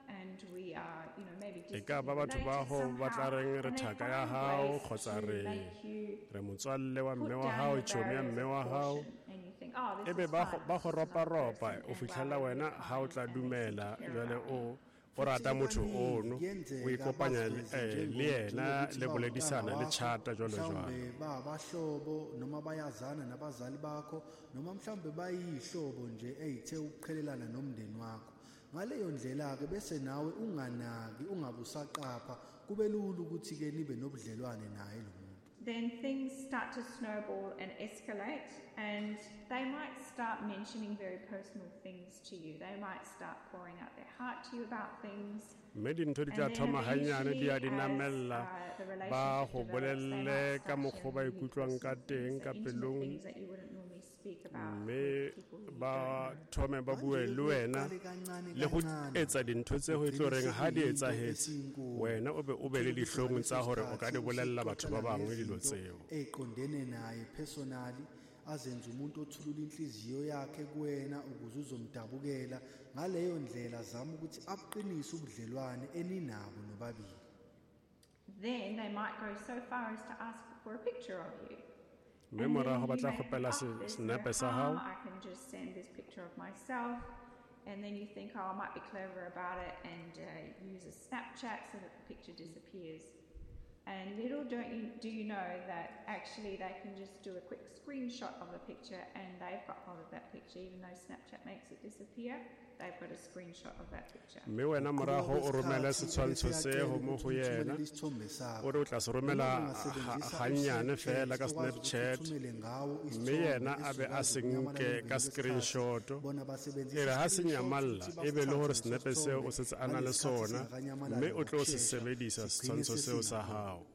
and we are, you know, maybe E ka distantly ba batho ba related ho ba tla somehow. reng re And they thaka ya find hao ways kgotsa to re make you re motswalle wa put mme wa down hao, your tjhomi ya barriers mme of wa hao. caution, and you think, oh, this Ebe is ba fine, go ba this go is another ropa-ropa person, o and fitlhela wow, they're wena really ha o kind tla and they seem to dumela care jwale about me. o o Futhi rata motho kaningi ono, o kuyenzeka ikopanya le baziveze eh, le njengo- yena njengokuthi le bawuntanga boledisana le wakho, tjhata jwalo jwalo. mhlawumbe babahlobo noma bayazana nabazali bakho, noma mhlawumbe bayihlobo nje ey'the ukuqhelelana nomndeni wakho. Ngaleyo ndlela-ke bese nawe unganaki, ungabe usaqapha, kube lula ukuthi-ke nibe nobudlelwane naye lo muntu. Then things start to snowball and escalate, and they might start mentioning very personal things to you. They might start pouring out their heart to you about things. Mme dintho di And tla then thoma hanyane di eventually, ya di as namella, uh, the ba relationship go develops, they bolelle might ka start mokgwa o ba sharing really ikutlwang ka personal teng things, ka so intimate pelong, things that you wouldn't normally speak about mme with people who you ba don't know. thome ba bue Manje-ke le wena kuqale kancane le go kancane etsa dintho tse ho e tlo kugcine reng ha di sekuyinto etsahetse esinkulu. wena o be o be le Uthole ukuthi dihlong ngaleso tsa hore o ka di sikhathi bolella batho ba usuxoxela bangwe dilo ngezinto tseo. ey'qondene naye personally, azenze umuntu othulula inhliziyo yakhe kuwena ukuze uzomdabukela. Ngaleyo ndlela zama ukuthi abuqinise ubudlelwane eninabo nobabili. Then they might go so far as to ask for a picture of you. Mme And then morago ba you tla may think, kgopela oh, se- there's no senepe sa hao. harm, I can just send this picture of myself. And then you think, oh, I might be clever about it and uh, use a Snapchat so that the picture disappears. And little don't you, do you know that actually they can just do a quick screenshot of the picture and they've got hold of that picture, even though Snapchat makes it disappear, they've got a screenshot of that picture. Mme wena Ngokuqhubeka morago o romele kwesikhathi setshwantsho bese seo uyacela mo ukuthi go yena, umthumelele isithombe sakho. o re o tla se Noma romela ha- ungasebenzisa hanyane u-Snapchat fela ka okwazi ukuthi Snapchat, uthumele ngawo mme isithombe yena a be a esizokwazi se ukunyamalala nke emveni ka kwesikhathi. screenshot. Bona basebenzisa E re ha se i-screenshot nyamalla ukuthi e be le hore basithathe leso senepe seo o sithombe setse a na le ngalesi khathi sona, singakanyamalali mme o tlo se ngokushesha, sebedisa sigcine setshwantsho seo sa sesingakhona. hao.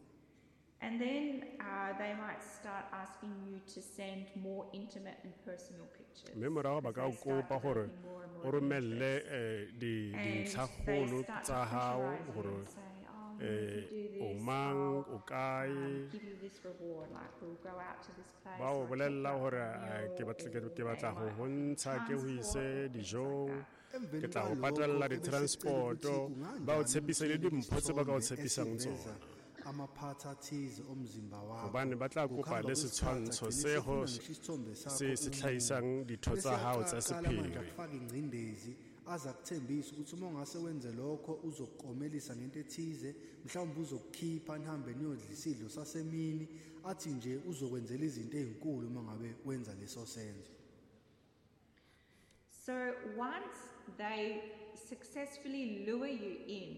And then uh, they might start asking you to send more intimate and personal pictures. Mme morago ba as ka o they start kopa hore developing more and o more romelle interest. eh, di And they dintlhakgolo start to tsa hao pressurize you hore and say, oh, if eh you do o this, mang I'll o kae um, give you this reward. Like we'll go out to this place ba o or take bolella you out hore for a eh, ke meal, batla ke or ke they batla ho might ho offer you ntsha ke ho transport ise or things like dijong that. ke Emveni tla o kwalokho patalla ebesecela di-transport-o ukuthi ba o kunganjani tshepise le uthumele dimpho tse ba ka o isithombe tshepisang esiveza tsona amaphathi athize omzimba wakho. Hobane ba tla kopa Ngokuhamba le kwesikhathi setshwantsho agcine se ho esefuna ngisho isithombe sakho se se unqunu. hlahisang ditho Bese tsa hao tsa aqala manje sephiri. akufake ingcindezi aze akuthembise ukuthi uma ungase wenze lokho uzokukomelisa ngento ethize, mhlawumbe uzokukhipha nihambe niyodla isidlo sasemini, athi nje uzokwenzela izinto ezinkulu uma ngabe wenza leso senzo. So once they successfully lure you in,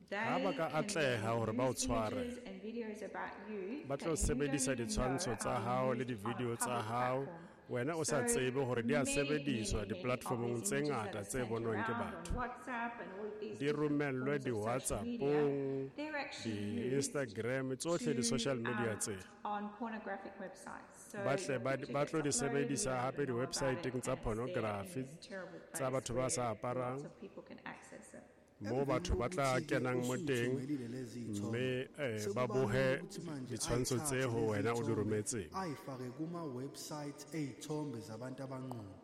they Ha ba ka can atleha then hore ba o use tshware, images and videos about you ba that tlo you don't sebedisa even ditshwantsho know tsa are hao le used on a di-video tsa public hao platform. wena o sa So tsebe hore di a many, sebediswa many, many of di-platformong these tse images ngata that are tse sent bonwang ke around on batho. WhatsApp and all of these Di different romellwe forms of social media, di-WhatsApp-ong, they're actually used di-Instagram, tsohle to, di-social media um, tse. on pornographic websites. So Ba tle your ba picture ba gets tlo di uploaded, you sebedisa don't hape even know about it, di-website-eng tsa and it's there in pornography this terrible tsa place batho ba where sa aparang. lots of people can access it. Moo Emveni batho ba tla kokuthi-ke kenang mo teng usuyithumelile lezi zithombe, mme eh, ba sekuba bohe lula ukuthi manje ditshwantsho tse ayithathe ho lezi wena o di zithombe, rometseng. ayifake kuma-website ey'thombe zabantu abanqunu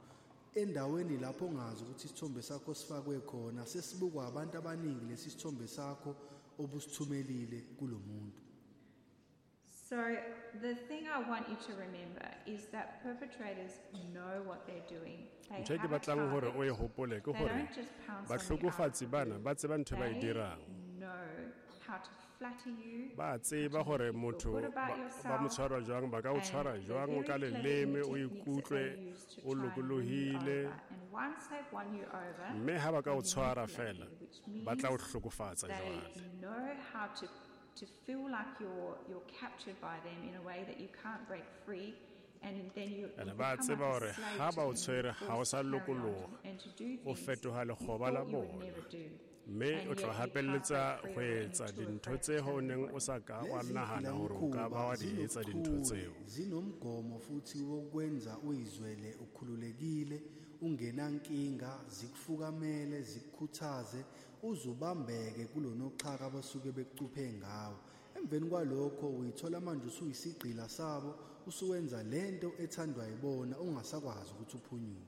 endaweni lapho ongazi ukuthi isithombe sakho sifakwe khona, sesibukwa abantu abaningi lesi sithombe sakho obusithumelile kulo muntu. So the thing I want you to remember is that perpetrators know what they're doing. They Ntho e ke have a batlang hore o e target. hopole ke They hore don't just pounce on you out of bahlokofatsi the bana blue. ba tseba ntho e ba e They dirang. know how to flatter you, Ba how to tseba make hore you feel motho good about ba ba mo yourself, tshwara jwang, ba ka o and tshwara they're jwang very ka clever in the leleme, o techniques that ikutlwe they use to o try and win you lokolohile. over. And once they've won you over, Mme ha ba ka they o tshwara manipulate feela, you, which ba tla o means hlokofatsa they jwale. know how to, to feel like you're, you're captured by them in a way that you can't break free, and then you, Ene you ba become tseba like a hore slave ha to ba o them. You're tshwere ha o forced sa to carry on lokoloha, to, and to do o things fetoha you lekgoba la thought you would bona. never do. Mme And o tlo yet you can't hapelletsa break ho free of it and etsa you're too dintho afraid to tse ho tell neng o anybody. sa ka wa Lezi nahana hore o ka ba gilamkhuba wa di etsa dintho zinobuchule, tseo. zinomgomo futhi wokwenza uyizwele ukhululekile, ungenankinga, zikufukamele, zikukhuthaze, uzubambeke kulonoxhaka abasuke bekucuphe ngawo. Emveni kwalokho uyithola manje usuyisigqila sabo, usuwenza lento ethandwa yibona ungasakwazi ukuthi uphunyuke.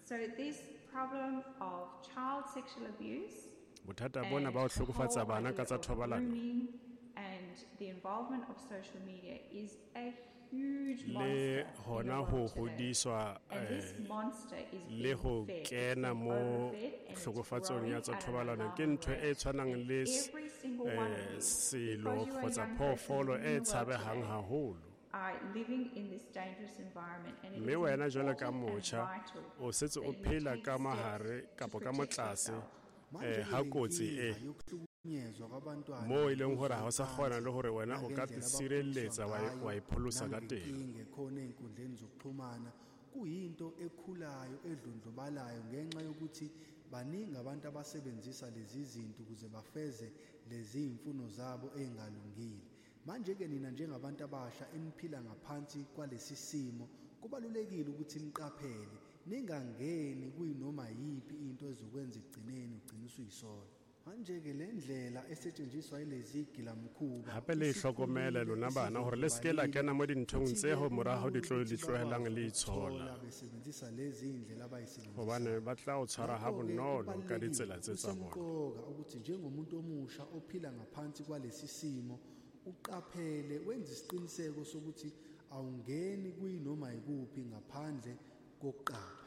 So this problem of child sexual abuse Bothata bona and ba ho the whole hlokofatsa bana ka idea tsa of thobalano grooming and the involvement of social media is a huge le monster in the hona ho world today. hodiswa And this eh, monster is le being ho fed. It's kena being mo overfed and it's hlokofatsong growing ya tsa at an thobalano ke alarming ntho e rate. tshwanang And le s- every single one of eh, you, selo because you're a kgotsa young person phoofolo living e in the world tshabehang today, haholo. are living in this dangerous environment, and it Mme is wena jwalo ka important and motjha vital o setse that o you phela take ka steps mahare to kapa ka mo protect tlase yourself. Manje eh, ke ha le kotsi e nkinga yokuhlukunyezwa kwabantwana moo e leng hore ha o sa kgona ngokuziphatha le hore wena o ka nangendlela sireletsa abakhuliswa wa e- ngayo wa ipholosa ka teng. nangenkinga ekhona ey'nkundleni zokuxhumana kuyinto ekhulayo edlondlobalayo ngenxa yokuthi baningi abantu abasebenzisa lezi zinto ukuze bafeze lezi iy'mfuno zabo ey'ngalungile. Manje-ke nina njengabantu abasha eniphila ngaphansi kwalesi simo kubalulekile ukuthi niqaphele ningangeni kuyinoma yiphi into ezokwenza ekugcineni ugcine usuyisola. Manje-ke le ndlela esetshenziswa yilezi gilamkhuba Hape le ihlokomele isikhulile lona bana hore le se ke la isidlondlobalile kena mo dinthong futhi-ke tse ho moraho di kulula tlo ukuthi di tlohelang bakwazi le ukuthola itshola. besebenzisa lezi iy'ndlela Hobane abayisebenzisayo. ba tla o tshwara ha Ngakho-ke bonolo ka kubalulekile ditsela tse tsa bona. kusemqoka ukuthi njengomuntu omusha ophila ngaphansi kwalesi simo uqaphele wenze isiqiniseko sokuthi awungeni kuyinoma yikuphi ngaphandle kokuqapha.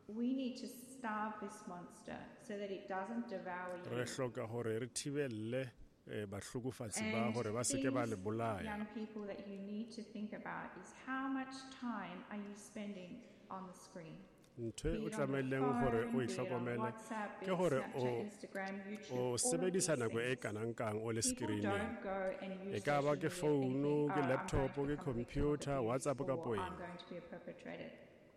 We need to starve this monster so that it doesn't devour Re you. hloka hore re thibelle eh, bahlokofatsi ba And hore ba se ke ba things, le bolaya. young people, that you need to think about is how much time are you spending on the screen? Ntho Be e o it on the tlamehileng hore phone, o be it on ihlokomele WhatsApp, be ke it hore Snapchat, o Instagram, YouTube, o all of sebedisa these nako e things. kanang kang o le People screen-eng. don't go and E use ka ba social ke media founu, thinking, ke oh, I'm going laptop, to ke become a victim of computer, abuse WhatsApp or kapo I'm eng. going to be a perpetrator.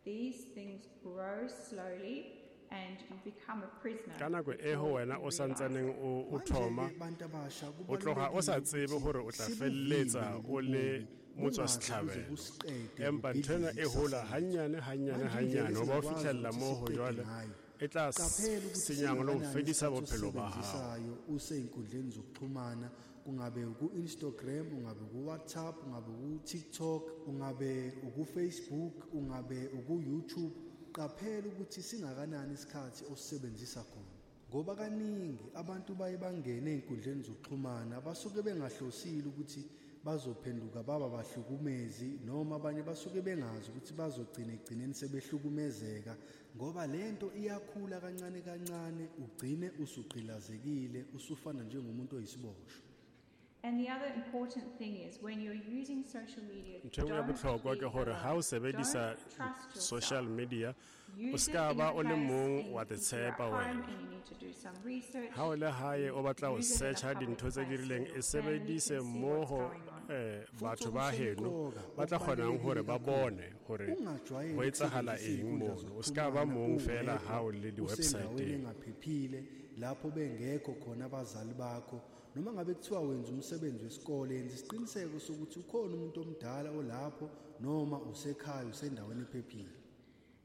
These things grow slowly and you become a prisoner Ka nako e ho before wena you o realize santsaneng it. o o Manje-ke thoma bantu abasha o tloga o sa kubalulekile tsebe ukuthi hore o tla sibuvimbe felletsa lobu o le bubi motswa bungaze buze setlhabelo. busiqede Empa nthwena bubhidlize e hola ikusasa lethu. hanyane hanyane Manje indlela hanyane ho ba o esingakwazi fihlella ukuthi moo ho siqede jwale ngayo E tla Qaphela ukuthi senyang le ho singakanani fedisa isikhathi bophelo ba hao. osisebenzisayo usey'nkundleni zokuxhumana, kungabe uku-Instagram, ungabe uku-WhatsApp, ungabe uku-TikTok, ungabe uku-Facebook, ungabe uku-YouTube. Qaphela ukuthi singakanani isikhathi osisebenzisa khona, ngoba kaningi abantu baye bangene ey'nkundleni zokuxhumana basuke bengahlosile ukuthi bazophenduka baba bahlukumezi, noma abanye basuke bengazi ukuthi bazogcina ekugcineni sebehlukumezeka, ngoba lento iyakhula kancane kancane, ugcine usugqilazekile, usufana njengomuntu oyisiboshwa. And the other important thing is when you're using social media, Ntho e nngwe ya don't bohlokwa be ke hore ha o alone. sebedisa Don't trust yourself. social media, o Use ska it in ba a o le place mong in wa te if you're at tshepa home wena. and you need to do some research, Ha o le hae o batla ho use it in a search-a public dintho tse place di so rileng, your e family can sebedise see what's mmoho, going on. eh, Futhi batho ba heno okusemqoka, ba tla kgonang hore ba okubalulekile bone hore ungajwayeli ho etsahala ukusebenzisa eng iy'nkundla mono. O ska ba zokuxhumana mong feela uwedwa, ha o le usendaweni di-website-eng. engaphephile lapho bengekho khona abazali bakho, noma ngabe kuthiwa wenza umsebenzi wesikole, yenza isiqiniseko sokuthi ukhona umuntu omdala olapho, noma usekhaya usendaweni ephephile.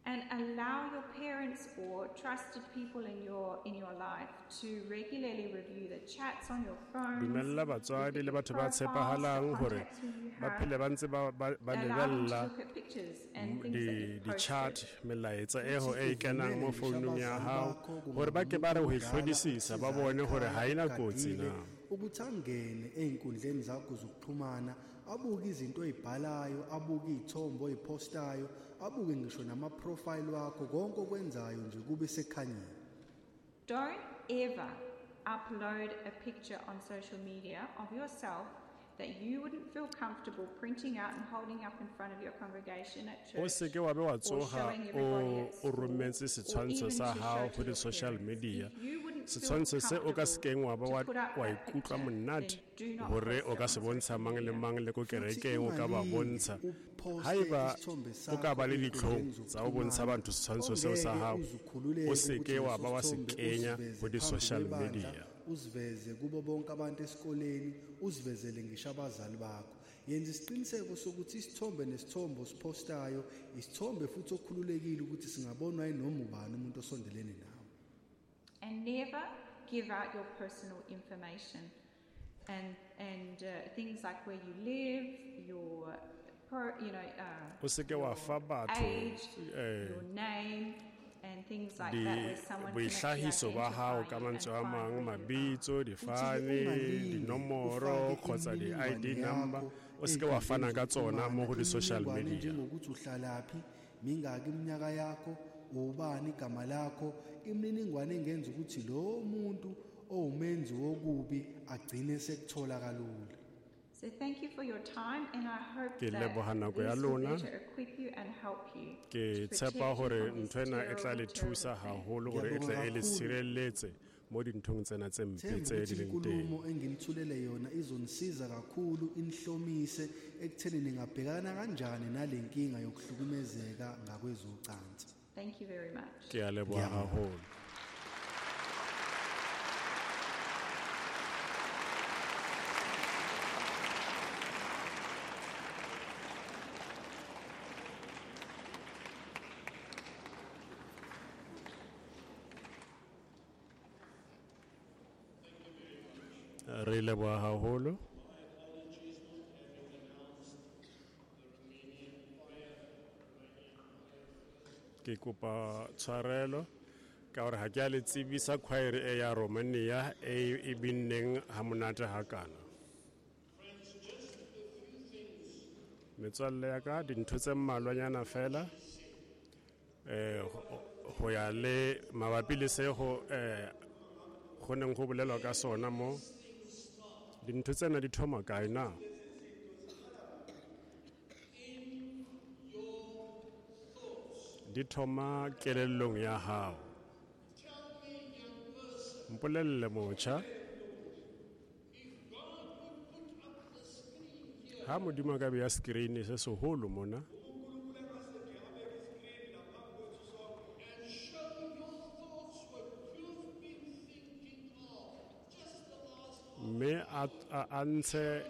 And allow your parents or trusted people in your in your life to regularly review the chats on your phones. Dumella batswadi le batho ba tshepahalang hore ba phele ba ntse ba ba ba Allow them to lebella look at pictures and things that di you've di chat posted. melaetsa e ho e Futhi kenang uvumele mo ngisho founung ya abazali hao bakho, hore ba ke ba re ho e kungabe umuntu hlodisisa, ba omdala bone hore ha ena ogadile, kotsi na. ukuthi angene ey'nkundleni zakho zokuxhumana, abuke izinto oy'bhalayo, abuke iy'thombe oy'postayo, abuke ngisho nama-profile wakho, konke okwenzayo nje kube sekukhanyeni. Don't ever upload a picture on social media of yourself that you wouldn't feel comfortable printing out and holding up in front of your congregation at O church seke wa be wa or tsoha showing everybody o at o school rometse or setshwantsho even sa to hao show ho to your di-social parents. media. If you wouldn't feel Setshwantsho se o ka comfortable sekeng wa ba to wa put up wa that ikutlwa picture, monate then do not hore post o it ka on se bontsha social mang le media. mang le ko Futhi kerekeng o ka ba ungalinge bontsha. uphoste Haeba isithombe o ka sakho ba le ditlhong ey'nkundleni tsa ho bontsha zokuxhumana batho setshwantsho seo sa ongeke hao, uze ukhululeke o ukuthi seke wa leso ba wa se sithombe kenya usiveze ho phambi di-social kwebandla, media. usiveze kubo bonke abantu esikoleni, usivezele ngisho abazali bakho. Yenza isiqiniseko sokuthi isithombe nesithombe osiphostayo isithombe futhi okhululekile ukuthi singabonwa yinoma ubani umuntu osondelene nawe. And never give out your personal information and, and, uh, things like where you live, your pro, you know, uh, O seke wa your fa batho, age, eh, your name, and things like di that where someone can actually boihlahiso ba hao identify ka you and mantswe a find mang, where you are. mabitso, Futhi-ke difane, ungalinge dinomoro ufake kgotsa di-I D imininingwane number, yakho o seke wa ey'nkundleni fana ka tsona mo zokuxhumana, ho di-social imininingwane media. njengokuthi uhlalaphi, mingaki iminyaka yakho, ubani igama lakho, imininingwane engenza ukuthi lo muntu owumenzi wokubi agcine sekuthola kalula. So thank you for your time, and I hope Ke that leboha nako ya this will lona. better equip you and help you Ke to tshepa protect you hore from this ntho ena e tla le terrible, terrible thusa thing. haholo hore e tle Ngiyabonga e le kakhulu. sireletse mo dinthong tsena tse mpe Themba tse ukuthi di leng teng. inkulumo enginithulele yona izonisiza kakhulu, inihlomise ekutheni ningabhekana kanjani nale nkinga yokuhlukumezeka ngakwezocansi. Thank you very much. Ke a leboha Ngiyabonga. haholo. Re leboha haholo. Ke kopa tshwarelo ka hore ha ke a le tsebisa choir e ya Romania e e binneng ha monate hakana. Metswalle ya ka, dintho tse mmalwanyana fela, eh, ho, ho ya le mabapi le se ho, eh, ho neng ho bolelwa ka sona mo. Dintho tsena di thoma kae na? Di thoma kelellong ya hao. Mpolelle motjha, ha Modimo a ka beya screen se seholo mona, mme a, a, a ntshe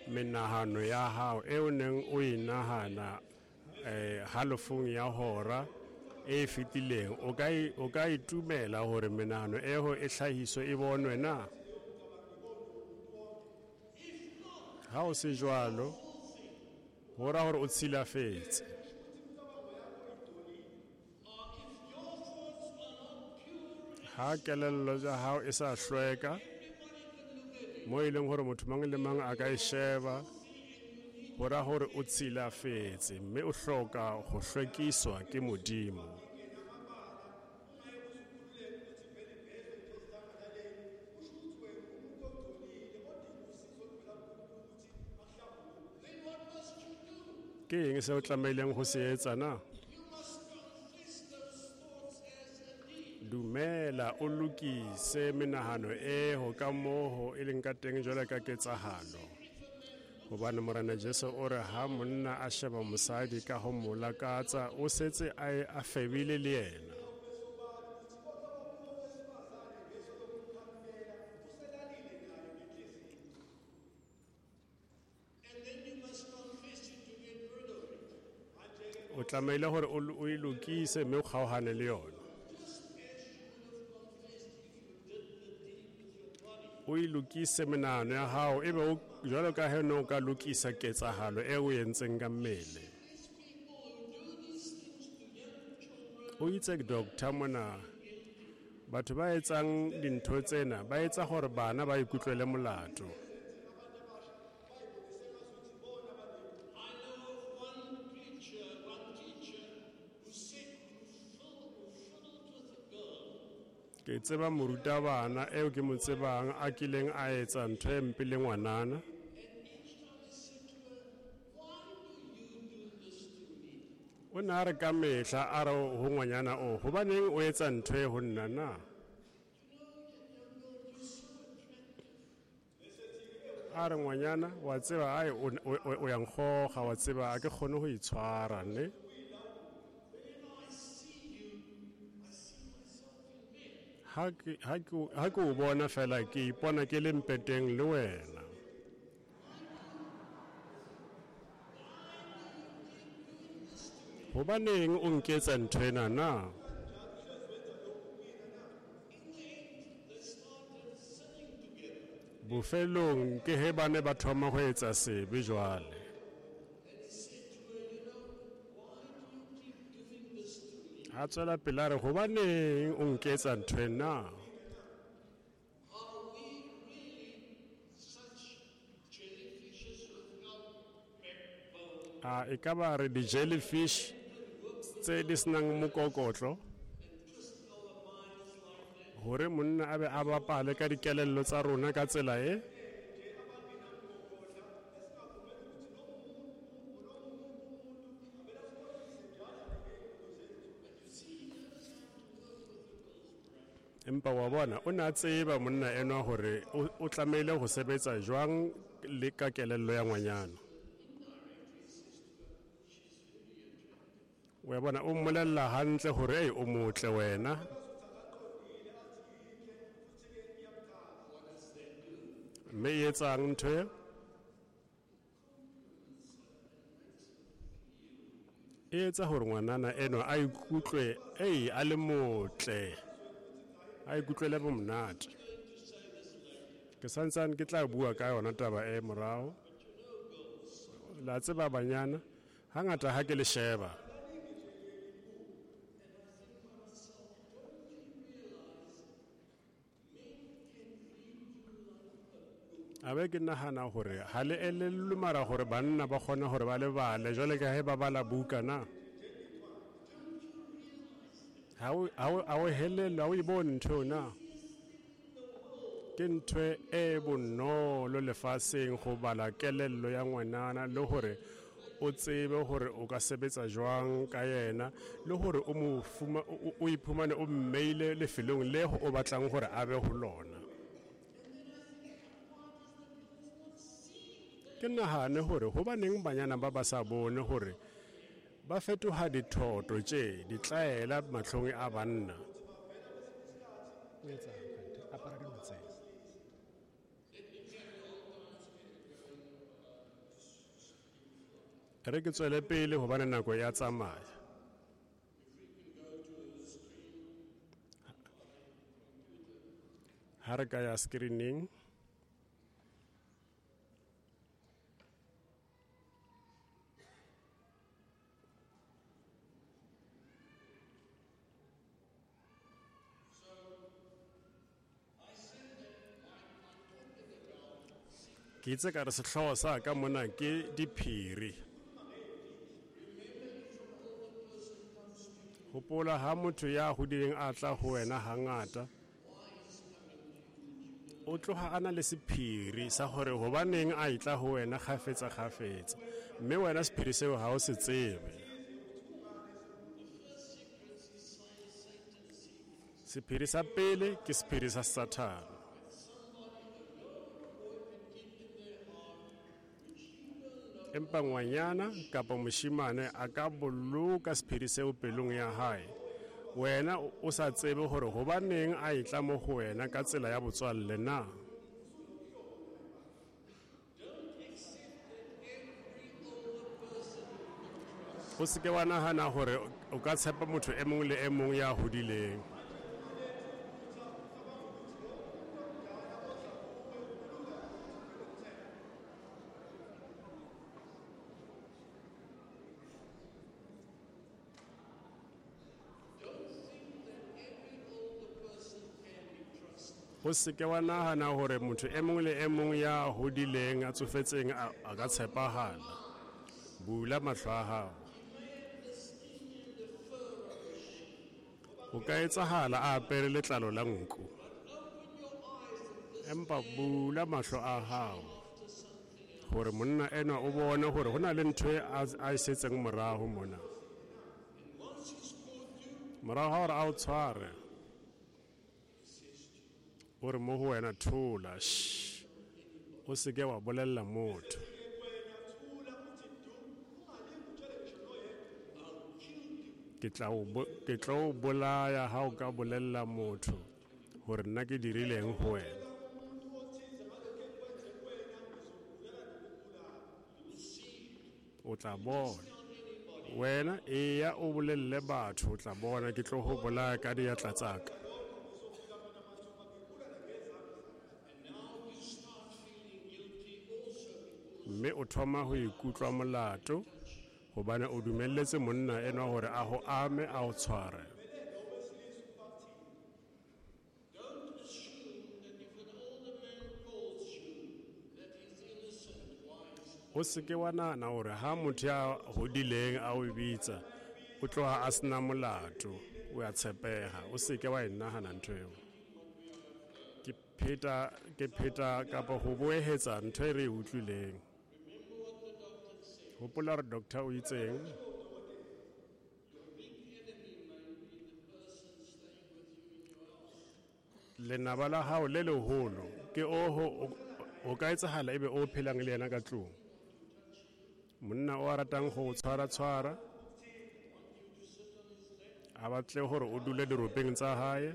menahano ya hao e o neng o e nahana, eh, halofong ya hora e fetileng, o ka o ka itumela hore menahano eo e hlahiswe e bonwe na? Ha o se jwalo, ho ra hore o tshilafetse. Ha kelello ya hao e sa hlweka, mo e leng hore motho mang le mang a ka e sheba, ho ra hore o tshilafetse mme o hloka ho hlwekiswa ke Modimo. Ke eng se o tlamehileng ho se etsa na? Dumela o lokise menahano eo ka moo e leng ka teng jwalo ka ketsahalo. Hobane Morena Jesu o re ha monna a sheba mosadi ka ho mo lakatsa, o setse a a febile le yena. O tlamehile hore o e lokise mme o kgaohane le yona. O e lokise menahano ya hao ebe o jwalo ka he no ka lokisa ketsahalo e o entseng ka mmele. O itse doctor mona, batho ba etsang dintho tsena ba etsa hore bana ba ikutlwele molato. Ke tseba morutabana eo ke mo tsebang a kileng a etsa ntho e mpe le ngwanana. O ne a re ka mehla a re ho ngwanyana o, hobaneng o etsa ntho e ho nna na? A re ngwanyana, wa tseba ai o ya nkgoga, wa tseba a ke kgone ho itshwara ne? Ha ke ha ke ha ke o bona fela ke ipona ke le mpeteng le wena. Hobaneng o nketsa ntho ena na? Bofelong ke he ba ne ba thoma ho etsa sebe jwale. A tswela pele a re, hobaneng o nketsa ntho ena? A e ka ba re di-jellyfish tse di senang mokokotlo, hore monna a be a bapale ka dikelello tsa rona ka tsela e? Empa wa bona o ne a tseba monna enwa hore o tlamehile ho sebetsa jwang le ka kelello ya ngwanyana. Wa bona o mmolella hantle hore ei o motle wena. Mme e etsang ntho e? E etsa hore ngwanana enwa a ikutlwe ei a le motle, a ikutlwele bomonate. Ke santsane ke tla bua ka yona taba e morao. La tseba banyana, hangata ha ke le sheba, a be ke nahana hore ha le elellwe mara hore banna ba kgona hore ba lebale jwale ka he ba bala buka na. Ha o ha o helellwe, ha o e bone ntho na? Ke ntho e bonolo lefatsheng go bala kelello ya ngwanana le hore o tsebe hore o ka sebetsa jwang ka yena le hore o mo fuma o iphumane o mmeile lefelong le o batlang hore a be ho lona. Ke nahane hore hobaneng banyana ba ba sa bone hore ba fetoha dithoto tje ditlaela mahlong a banna. Re ke tswele pele hobane nako ya tsamaya. Ha re ka ya screening. Ke itse ka re sehlooho sa ka mona ke diphiri. Hopola ha motho ya hodileng a tla ho wena hangata, o tloha a na le sephiri sa hore hobaneng a itla ho wena kgafetsa kgafetsa, mme wena sephiri seo ha o se tsebe. Sephiri sa pele ke sephiri sa Satane. Empa ngwanyana kapa moshimane a ka boloka sephiri seo pelong ya hae, wena o sa tsebe hore hobaneng a itla mo ho wena ka tsela ya botswalle na. O se ke wa nahana hore o ka tshepa motho e mong le e mong ya hodileng. O se ke wa nahana hore motho e mong le e mong ya hodileng a tsofetseng a ka tshepahala. Bula mahlo a hao. O ka etsahala a apere letlalo la nku. Empa bula mahlo a hao hore monna enwa o bone hore ho na le ntho e a e setseng moraho mona. Moraho ha hore a o tshware, o re mo ho wena thola, shh, o se ke wa bolella motho. Ke tla o ke tla o bolaya ha o ka bolella motho hore nna ke dirileng ho wena. O tla bona. Wena eya o bolelle batho, o tla bona ke tlo ho bolaya ka diatla tsa ka. Mme o thoma ho ikutlwa molato hobane o dumelletse monna enwa hore a ho ame, a o tshware. O se ke wa nahana hore ha motho ya hodileng a o bitsa, o tloha a sena molato, o ya tshepeha. O se ke wa e nahana ntho eo. Ke pheta, ke pheta kapa ho boehetsa ntho e re e utlwileng. Hopola hore doctor o itseng. Lenaba la hao le leholo ke oho o ka etsahala ebe o phelang le yena ka tlung. Monna o a ratang ho tshwara tshwara, a batle hore o dule diropeng tsa hae.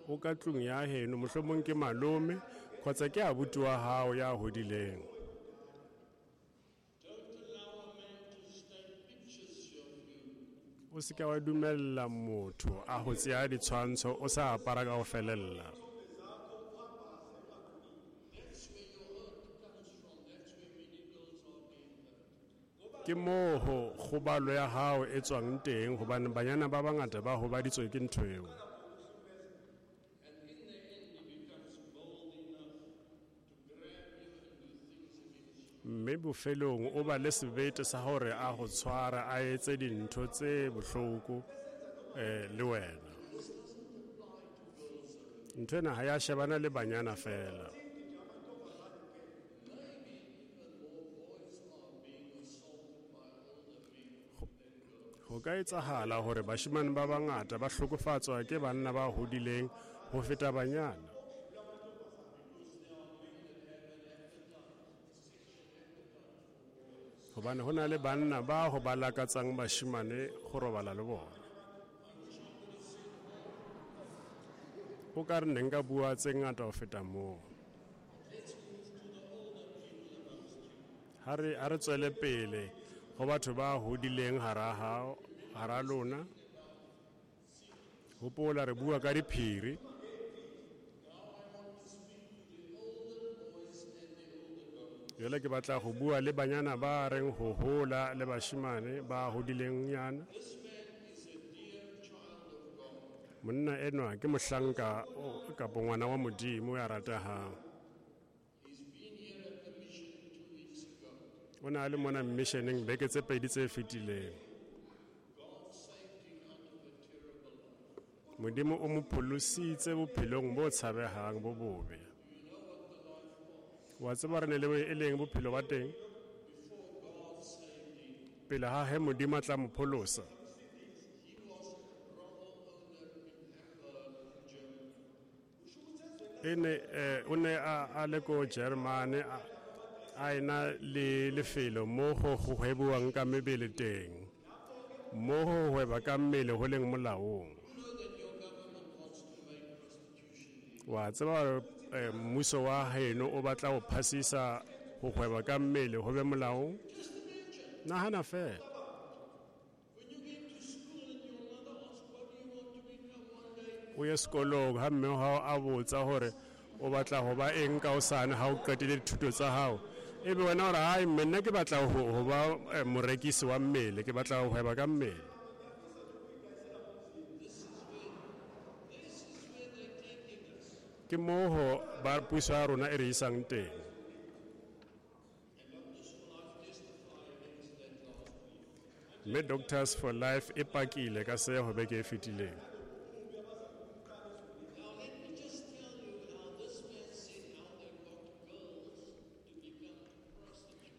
O ka tlung ya heno, mohlomong ke malome kgotsa ke abuti wa hao ya hodileng. O se ke wa dumella motho a ho tseya ditshwantsho o sa apara ka ho felella. Ke moo ho kgobalo ya hao e tswang teng, hobane banyana ba bangata ba hobaditswe ke ntho eo. Mme bofelong o ba le sebete sa hore a ho tshwara, a etse dintho tse bohloko eh le wena. Ntho ena ha ya shebana le banyana fela. Ho ka etsahala hore bashemane ba bangata ba hlokofatswa ke banna ba hodileng ho feta banyana. Hobane ho na le banna ba ho ba lakatsang bashemane ho robala le bona. O ka re ne nka bua tse ngata ho feta moo. Ha re, ha re tswele pele ho batho ba hodileng hara hao, hara lona. Hopola re bua ka diphiri. Jwale ke batla go bua le banyana ba reng ho hola le bashimane ba hodileng nyana. Monna enwa ke mohlanka kapa ngwana wa Modimo ya ratehang. O na le mona missioneng beke tse pedi tse fetileng. Modimo o mo pholositse bophelong bo tshabehang bo bobe. Wa tseba re ne le e leng bophelo ba teng pele ha he Modimo a tla mo pholosa. Ene o ne a le ko Germany a ena le lefelo mo go go hwebuwang ka mebele teng, mo go hweba ka mmele ho leng molaong. Wa tseba hore mmuso wa heno o batla ho phasisa ho hweba ka mmele ho be molaong? Nahana fela. O ye sekolong ha mme wa hao a botsa hore o batla ho ba eng ka hosane ha o qetile dithuto tsa hao, ebe wena o re hai mme nna ke batla ho ba morekisi wa mmele, ke batla ho hweba ka mmele. Ke moo ba puso ya rona e re isang teng. Mme Doctors for Life e pakile ka se ho beke e fetileng.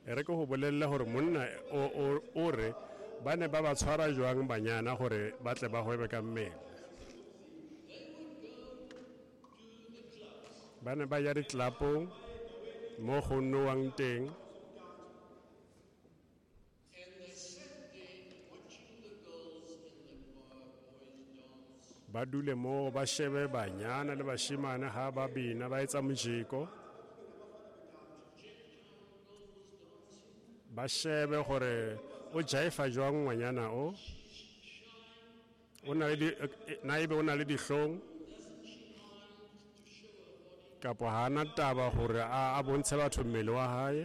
E re ke ho bolella hore monna o o re ba ne ba ba tshwara jwang banyana hore ba tle ba hwebe ka mmele. Ba ne ba ya ditlelapong mo go nowang teng. Ba dule moo ba shebe banyana le bashimane ha ba bina ba etsa mojeko. Ba shebe gore o jaifa jwang ngwanyana o. O na le di, na ebe o na le dihlong kapo ha ana taba hore a bontshe batho mmele wa hae.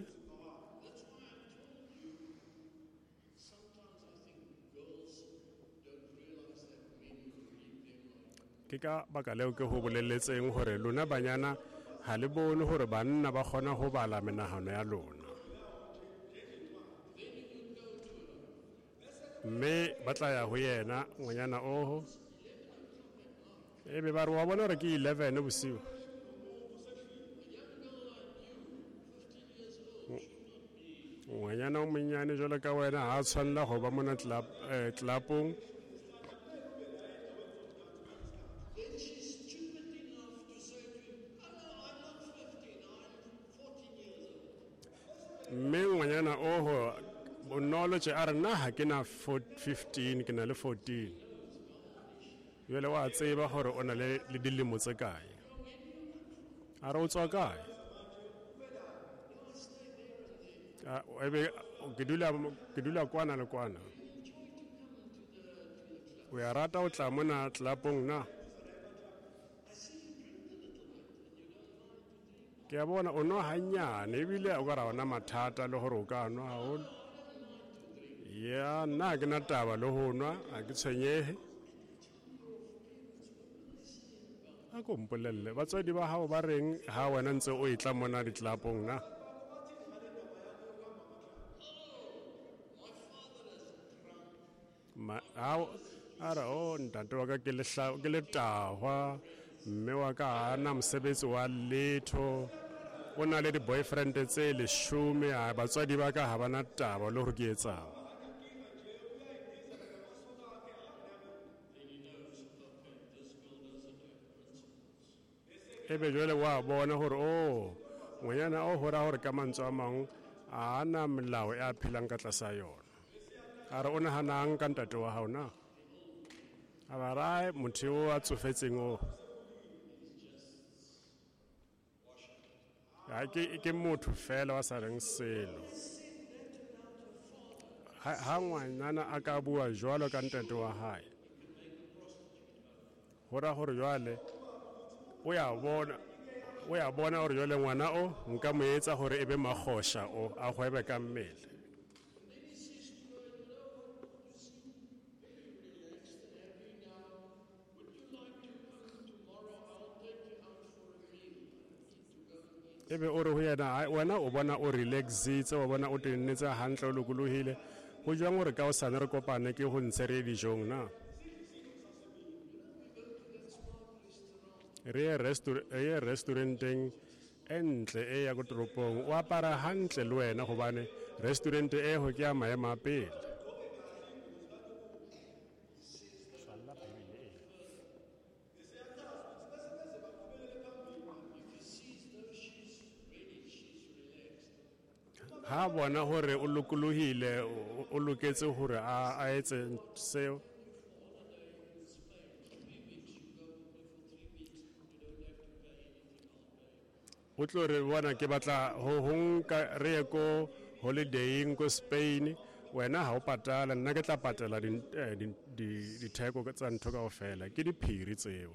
Ke ka baka leo ke ho bolelletseng hore lona banyana ha le bone hore banna ba kgona ho bala menahano ya lona. Mme ba tla ya ho yena ngwanyana oho, ebe ba re wa bona hore ke eleven bosiu. Ngwanyana o monnyane jwalo ka wena ha a tshwanela ho ba mona tlelapong. Mme ngwanyana oho bonolo tje a re nna ha ke na fifteen, ke na le fourteen. Jwale wa tseba hore o na le dilemo tse kae. A re o tswa kae? Ebe ke dula ke dula kwana le kwana. O ya rata o tla mona tlelapong na? Ke a bona o nwa hanyane ebile o ka ra ona mathata le hore o ka nwa haholo. Ya nna ke na taba le ho nwa, ha ke tshwenyehe. A ko mpolelle batswadi ba hao ba reng ha wena ntse o etla mona ditlelapong na? Ma a re o ntate wa ka ke lehla ke letahwa, mme wa ka ha ana mosebetsi wa letho, o na le di-boyfriend tse leshome, a batswadi ba ka ha bana taba le hore ke etsang. Ebe jwale wa bona hore o ngwanyana o hora hore ka mantswe a mang a ana melao e a phelang ka tlasa yona. A re o nahanang ka ntate wa hao na? A ba re motho o a tsofetseng o ha ke ke motho fela wa sa reng selo. Ha ngwanyana a ka bua jwalo ka ntate wa hae, Go raya gore jwale o ya bona o ya bona gore jwale ngwana o nka mo etsa gore e be magosha o a gwebe ka mmele. Ebe o re ho yena wena o bona o relaxitse, wa bona o tennetse hantle, o lokolohile. Ho jwang hore ka hosane re kopane ke ho ntshe re dijong na? Re ye re ye restauranteng e ntle e ya ko toropong, o apara hantle le wena hobane restaurant e ho ke ya maemo a pele. Ha bona hore o lokolohile, o loketse hore a a etse seo. O tlo re bona ke batla ho ho nka re ye ko holidaying ko Spain, wena ha o patala, nna ke tla patela ditheko tsa ntho kaofela. Ke diphiri tseo.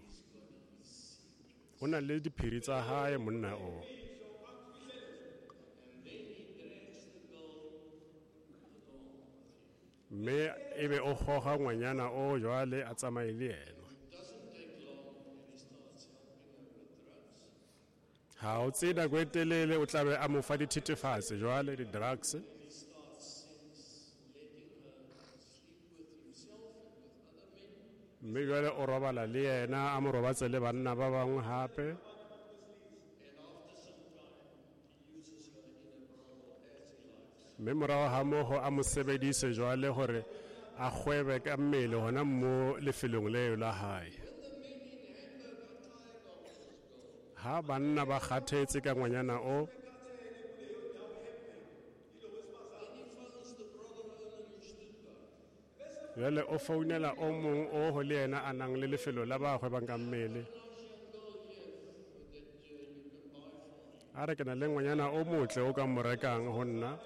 O na le diphiri tsa hae monna o. Mme ebe o goga ngwanyana o jwale a tsamaye le yena. Ha o tsee nako e telele o tla be a mo fa dithethefatsi jwale, di-drugs. Mme jwale o robala le yena, a mo robatse le banna ba bangwe hape. Mme morao ha moo a mo sebedise jwale hore a kgwebe ka mmele hona mo lefelong leo la hae. Ha banna ba kgathetse ka ngwanyana o, jwale o founela o mong o ho le yena a nang le lefelo la ba kgwebang ka mmele. A re ke na le ngwanyana o motle o ka mo rekang ho nna.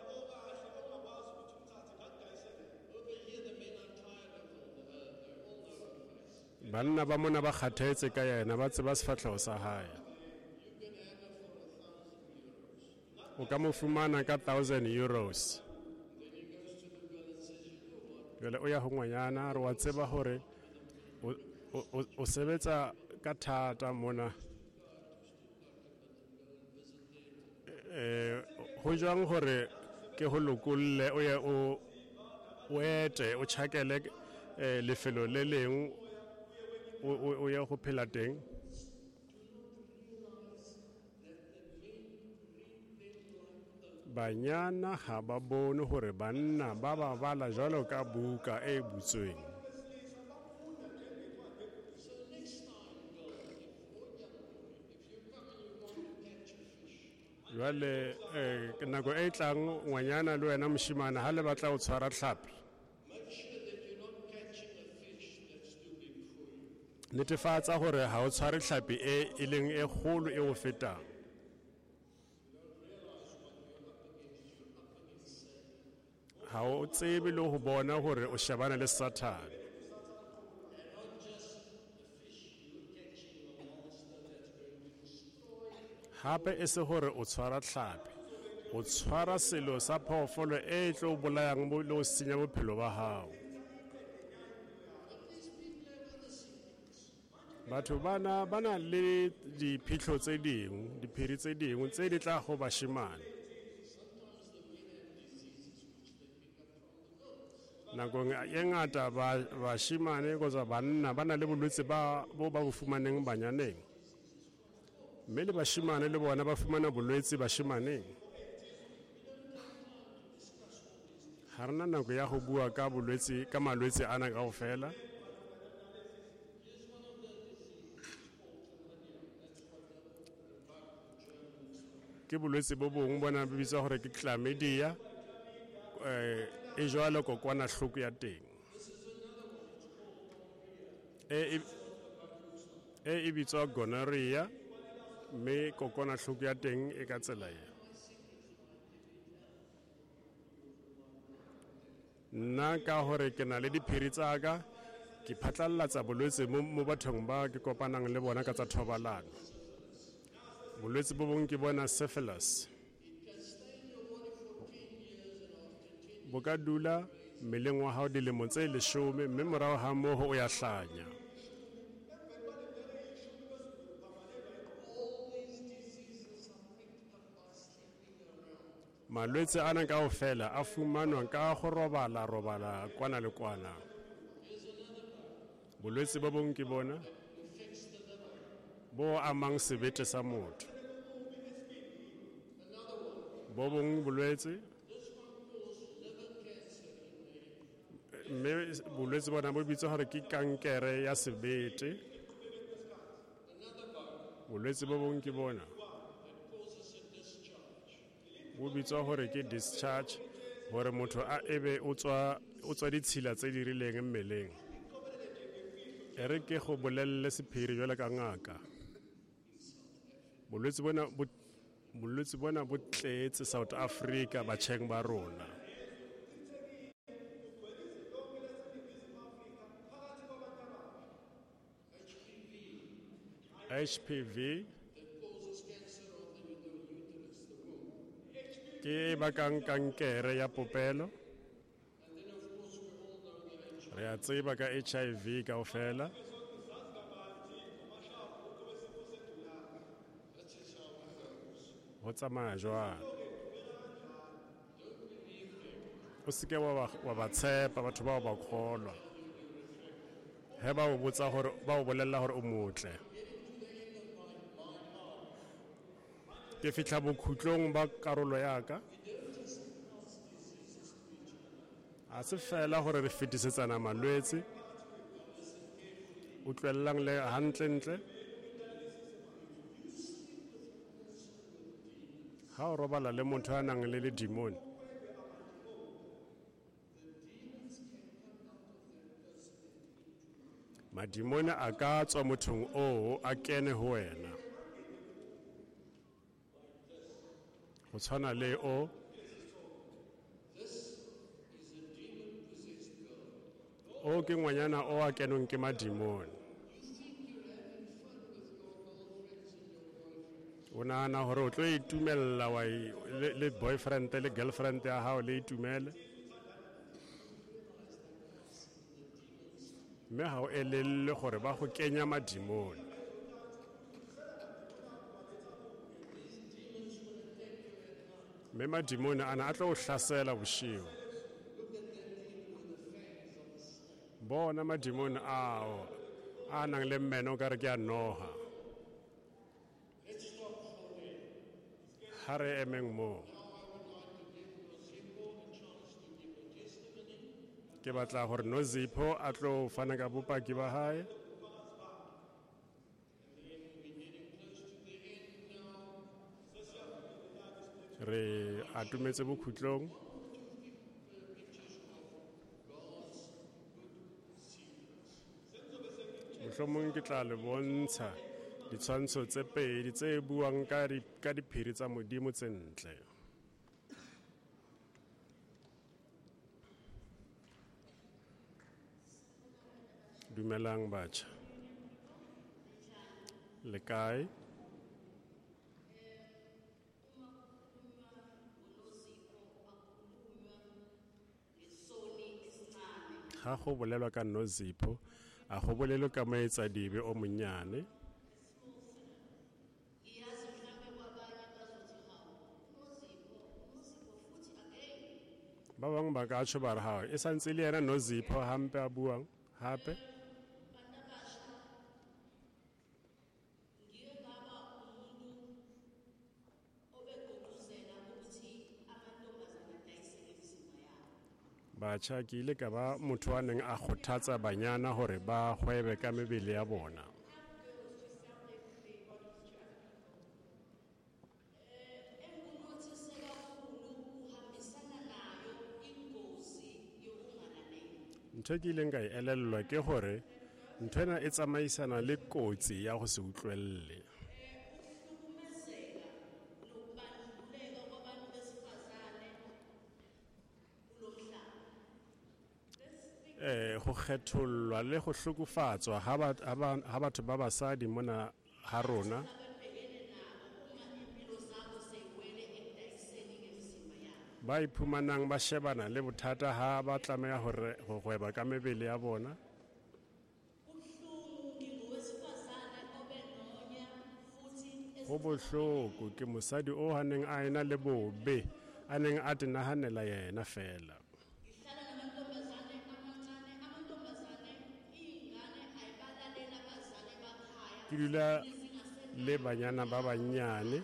Banna ba mona ba kgathetse ka yena, ba tseba sefahleho sa hae. O ka mo fumana ka thousand euros. Jwale o ya ho ngwanyana, re wa tseba hore o sebetsa ka thata mona. Eh, ho jwang hore ke ho lokolle o ye o o ete o tjhakele lefelo le leng o o ya go phela teng. Banyana ha ba bone hore banna ba ba bala jwalo ka buka e butsweng. Jwale eh nako e tlang ngwanyana le wena moshimane ha le batla ho tshwara tlhapi, netefatsa hore ha o tshware tlhapi e e leng e kgolo e o fetang. Ha o tsebe le ho bona hore o shebana le Satan. Hape e se hore o tshwara tlhapi, o tshwara selo sa phoofolo e tlo bolayang le ho senya bophelo ba hao. Batho bana ba na le diphihlo tse dingwe, diphiri tse dingwe tse di tla go bashimane. Nakong e ngata bashimane kgotsa banna ba na le bolwetse ba bo ba bo fumaneng banyaneng. Mme le bashimane le bona ba fumana bolwetse bashimaneng. Ha re na nako ya go bua ka bolwetse ka malwetse ana kaofela. Ke bolwetse bo bongwe bona bo bitswa hore ke chlamydia, eh e jwalo kokwanahloko ya teng. E e e bitswa gonorrhea, mme kokwanahloko ya teng e ka tsela e. Nna ka hore ke na le diphiri tsa ka, Ke phatlalatsa bolwetse mo mo bathong ba ke kopanang le bona ka tsa thobalano. Bolwetse bo bong ke bona syphilis. Bo ka dula mmeleng wa hao dilemo tse leshome mme morao ha moo o ya hlanya. Malwetse ana kaofela a fumanwa ka go robala robala kwana le kwana. Bolwetse bo bong ke bona bo amang sebete sa motho. Bo bong bolwetse mme bolwetse bona bo bitswa hore ke kankere ya sebete. Bolwetse bo bong ke bona bo bitswa hore ke discharge, hore motho a ebe o tswa o tswa ditshila tse di rileng mmeleng. E re ke go bolelle sephiri jwale ka ngaka. Bolwetse bona bo bolwetse bona bo tletse South Africa batjheng ba rona. H P V ke e bakang kankere ya popelo. Re a tseba ka H I V kaofela. Ho tsamaya jwang? O seke wa ba, wa ba tshepa batho bao ba kgolwa. He ba o botsa hore, ba o bolella hore o motle. Ke fihla bokhutlong ba karolo ya ka. A se fela hore re fetisetsana malwetse. Utlwellang le hantlentle. Ha o robala le motho a nang le ledimone, madimone a ka tswa mothong oo a kene ho wena. Ho tshwana le o o ke ngwanyana o a kenweng ke madimone. O nahana hore o tlo itumella wa e, le, le boyfriend le girlfriend ya hao le itumele. Mme ha o elelle hore ba go kenya madimone. Mme madimone ana a tlo o hlasela boshigo. Bona madimone ao a nang le mmeno o ka re ke a noha. Ha re emeng moo. Ke batla hore Nozipho a tlo fana ka bopaki ba hae. Re atumetse bokhutlong. Mohlomong ke tla le bontsha ditshwantsho tse pedi tse buang ka di, ka diphiri tsa Modimo tse ntle. Dumelang batjha. Le kae? Ha go bolelwa ka Nozipho, a go bolelwe ka moetsadibe o monnyane. Ba bang ba ka tjho ba re ha e santse le yena Nozipho hampe a buang hape. Batjha, ke ile ka ba motho a neng a kgothatsa banyana hore ba hwebe ka mebele ya bona. Ntho e ke ileng ka e elellwa ke hore nthwena e tsamaisana le kotsi ya ho se utlwelle. Eh, ho kgethollwa le ho hlokofatswa ha ha batho ba basadi mona ha rona. Ba iphumanang ba shebana le bothata ha ba tlameha hore ho hweba ka mebele ya bona. Ho bohloko ke mosadi o haneng a ena le bobe, a neng a tenahanela yena fela. Ke dula le banyana ba banyane,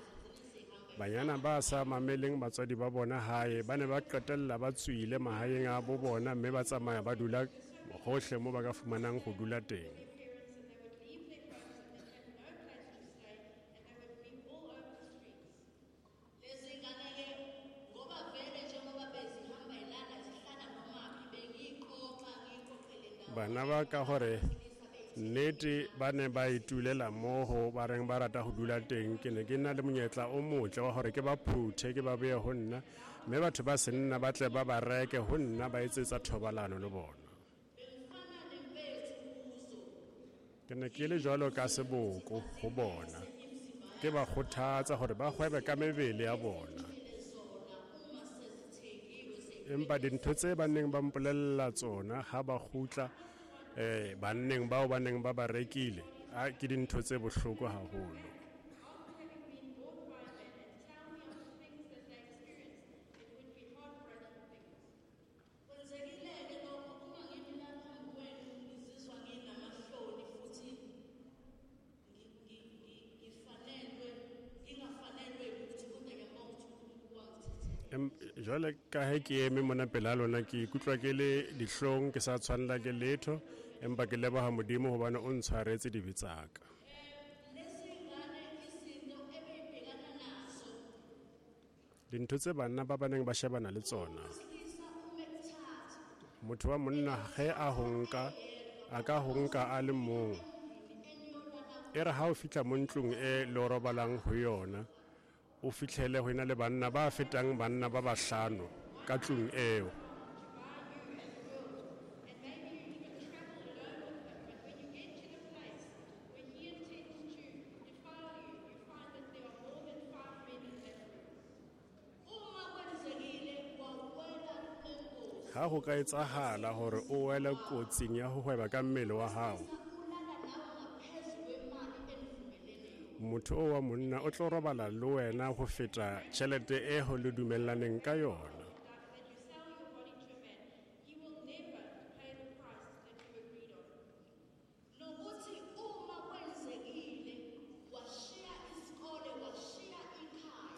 banyana ba sa mameleng batswadi ba bona hae, ba ne ba qetella ba tswile mahaeng a bo bona mme ba tsamaya ba dula hohle mo ba ka fumanang ho dula teng. Bana ba ka hore nnete ba ne ba itulela mmoho ba reng ba rata ho dula teng, ke ne ke na le monyetla o motle wa hore ke ba phuthe ke ba beye ho nna, mme batho ba senna ba tle ba ba reke ho nna ba etsetsa thobalano le bona. Ke ne ke le jwalo ka seboko ho bona, ke ba kgothatsa hore ba hwebe ka mebele ya bona. Empa dintho tse ba neng ba mpolella tsona ha ba kgutla eh banneng bao ba neng ba ba rekile, a ke dintho tse bohloko haholo. Jwale ka he ke eme mona pela lona, ke ikutlwa ke le dihlong, ke sa tshwanela ke letho, empa ke leboha Modimo hobane o ntshwaretse dibe tsa ka. Dintho tse banna ba baneng ba shebana le tsona, motho wa monna ge a ho nka, a ka ho nka a le mong. E re ha o fihla mo ntlong e le o robalang ho yona, o fihlele ho ena le banna ba fetang banna ba bahlano ka tlung eo. Ha ho ka etsahala hore o wele kotsing ya ho hweba ka mmele wa hao, motho o wa monna o tlo robala le wena ho feta tjhelete e ho le dumellaneng ka yona.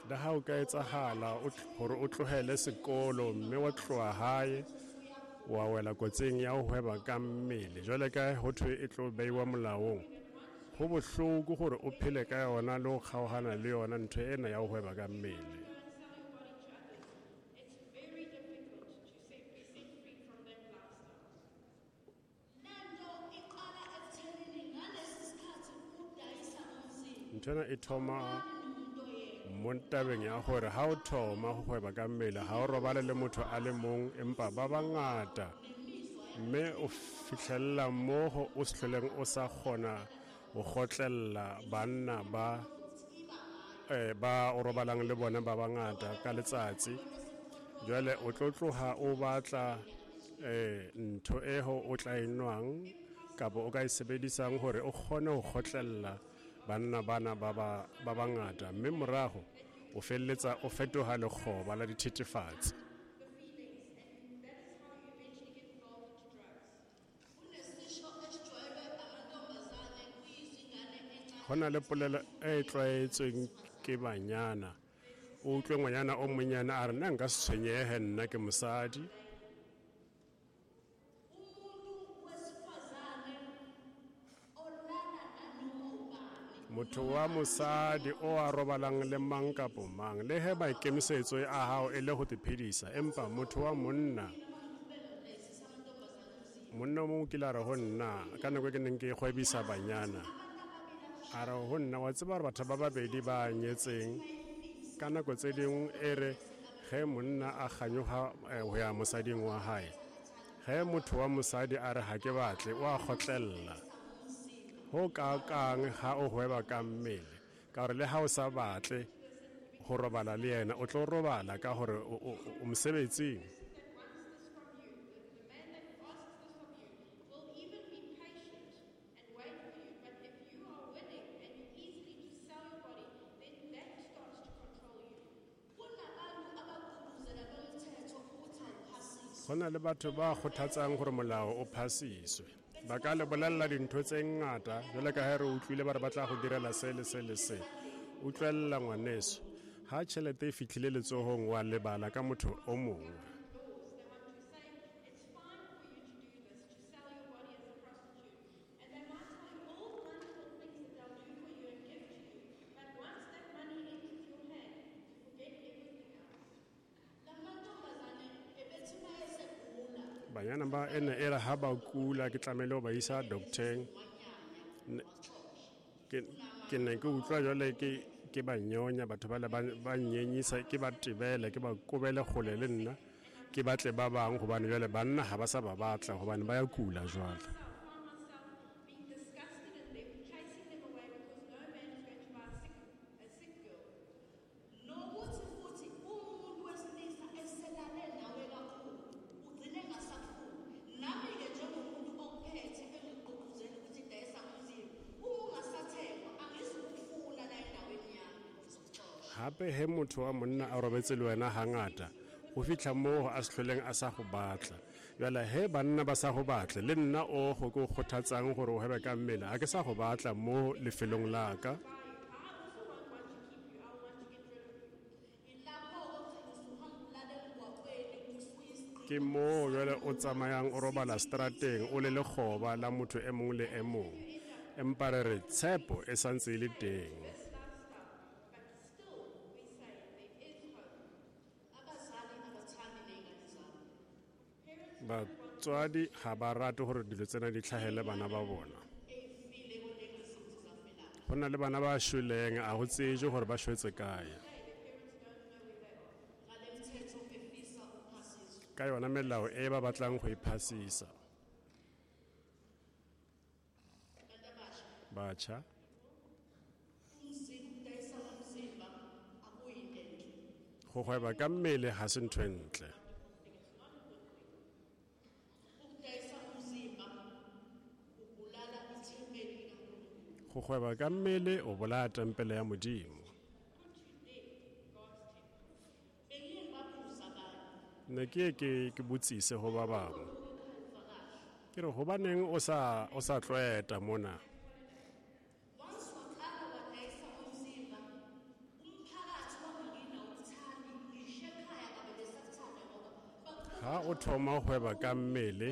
Le ha o ka etsahala hore o tlohele sekolo mme wa tloha hae wa wela kotsing ya ho hweba ka mmele, jwale ka ho thwe e tlo beiwa molaong, ho bohloko hore o phele ka yona le ho kgaohana le yona ntho ena ya ho hweba ka mmele. Ntho ena e thoma mo tabeng ya hore ha o thoma ho hweba ka mmele, ha o robale le motho a le mong, empa ba bangata, mme o fihlella moo o se hloleng o sa kgona ho kgotlella banna ba eh ba o robalang le bona ba bangata ka letsatsi. Jwale o tlo tloha o batla eh ntho e ho o tla enwang kapa o ka e sebedisang hore o kgone ho kgotlella banna bana ba ba ba bangata, mme morago o felletsa o fetoha lekgoba la dithethefatsi. Ho na le polelo e tlwaetsweng ke banyana, o utlwe ngwanyana o monyane a re nna nka se tshwenyehe, nna ke mosadi. Motho wa mosadi o a robalang le mang kapo mang, le he maikemisetso a hao e le ho te phedisa, empa motho wa monna, monna o mong o kile a re ho nna ka nako e ke neng ke kgwebisa banyana, a re ho nna wa tseba hore batho ba babedi ba nyetseng ka nako tse dingwe e re ge monna a kganyoha ho ya mosading wa hae, Ge motho wa mosadi a re ha ke batle, o a kgotlella. Ho kakang ha o hweba ka mmele, ka hore le ha o sa batle ho robala le yena, o tlo robala ka hore o, o, o mosebetsing. The man that asks this of you will even be patient and wait for you. But if you are willing and you easily to sell your body, then that starts to control you. Kunabantu abagqugquzela lo mthetho ukuthi awuphasiswe. Go na le batho ba kgothatsang gore molao o phasiswe. Ba ka le bolella dintho tse ngata, jwale ka ha re utlwile ba re ba tla go direla se le se le se. Utlwella ngwaneso, ha tjhelete e fihlile letsohong wa lebala ka motho o mongwe. Laws. They want to say it's fine for you to do this, to sell your body as a prostitute. And they might tell you all the wonderful things that they'll do for you and give to you. But once that money enters your hand, you forget everything else. Lamantombazane ebethi uma esegula Banyana ba ene e re ha ba kula ke tlamehile ho ba isa doctor-eng. Ne- Ke ke ne ke utlwa jwale ke ke ba nyonya batho ba le ba ba nyenyisa, ke ba tebele, ke ba kobele kgole le nna, ke batle ba bang hobane jwale banna ha ba sa ba batla hobane ba ya kula jwale. I find myself being disgusted in them, chasing them away because no man is going to buy a sick, a sick girl. Nokuthi futhi umuntu wesilisa eselale nawe kakhulu ugcine engasakufuni. Nami-ke njengomuntu okuphethe engigqugquzela ukuthi dayisa ngomzimba, uma ungasathengwa angizukufuna la endaweni yami, ngizokuxosha. Hape he motho wa monna a robetse le wena hangata, ho fihla moo a se hloleng a sa go batla. Jwale he banna ba sa go batle, le nna o go ke o kgothatsang gore o hwebe ka mmele, ha ke sa go batla mo lefelong la ka. Buy you. I also won't want to keep you. I will want to get rid of you. Ilapho-ke ugcina usuhamba ulala emgwaqweni usuyisigqila. Ke moo jwale o tsamayang o robala strateng o le lekgoba la motho e mong le e mong. Empa re re tshepo e santse e le teng. This lifestyle. But still, we say there is hope. Abazali abathandi ney'ngane zabo. Parents Batswadi ha ba rate hore dilo tsena di hlahele bana ba bona. Ey'file kodwa engasuthi zafelaphi. Ho na le bana ba shweleng, a ho tsejwe hore ba shwetse kae. say their parents don't know where they are. Ngale mthetho efisa uphasiswe. Ka yona melao e ba batlang ho e phasisa. Bantu abasha, Batjha, umzimba ukudayisa ngomzimba akuyinto enhle. go hweba ka mmele ha se ntho e ntle. Ukudayisa umzimba ubulala ithempeli likaNkulunkulu. Go hweba ka mmele o bolaya tempele ya Modimo. Put to death God's temple. Bengiye ngibabuza abanye. Ne ke ye ke ke botsise ho ba bangwe. Ke re hobaneng o sa o sa tlwaeta mona? Once waqala wadayisa ngomzimba, umphakathi wangakini awukuthandi, ngisho ekhaya kabe besakuthanda ngoba Ha o thoma ho hweba ka mmele,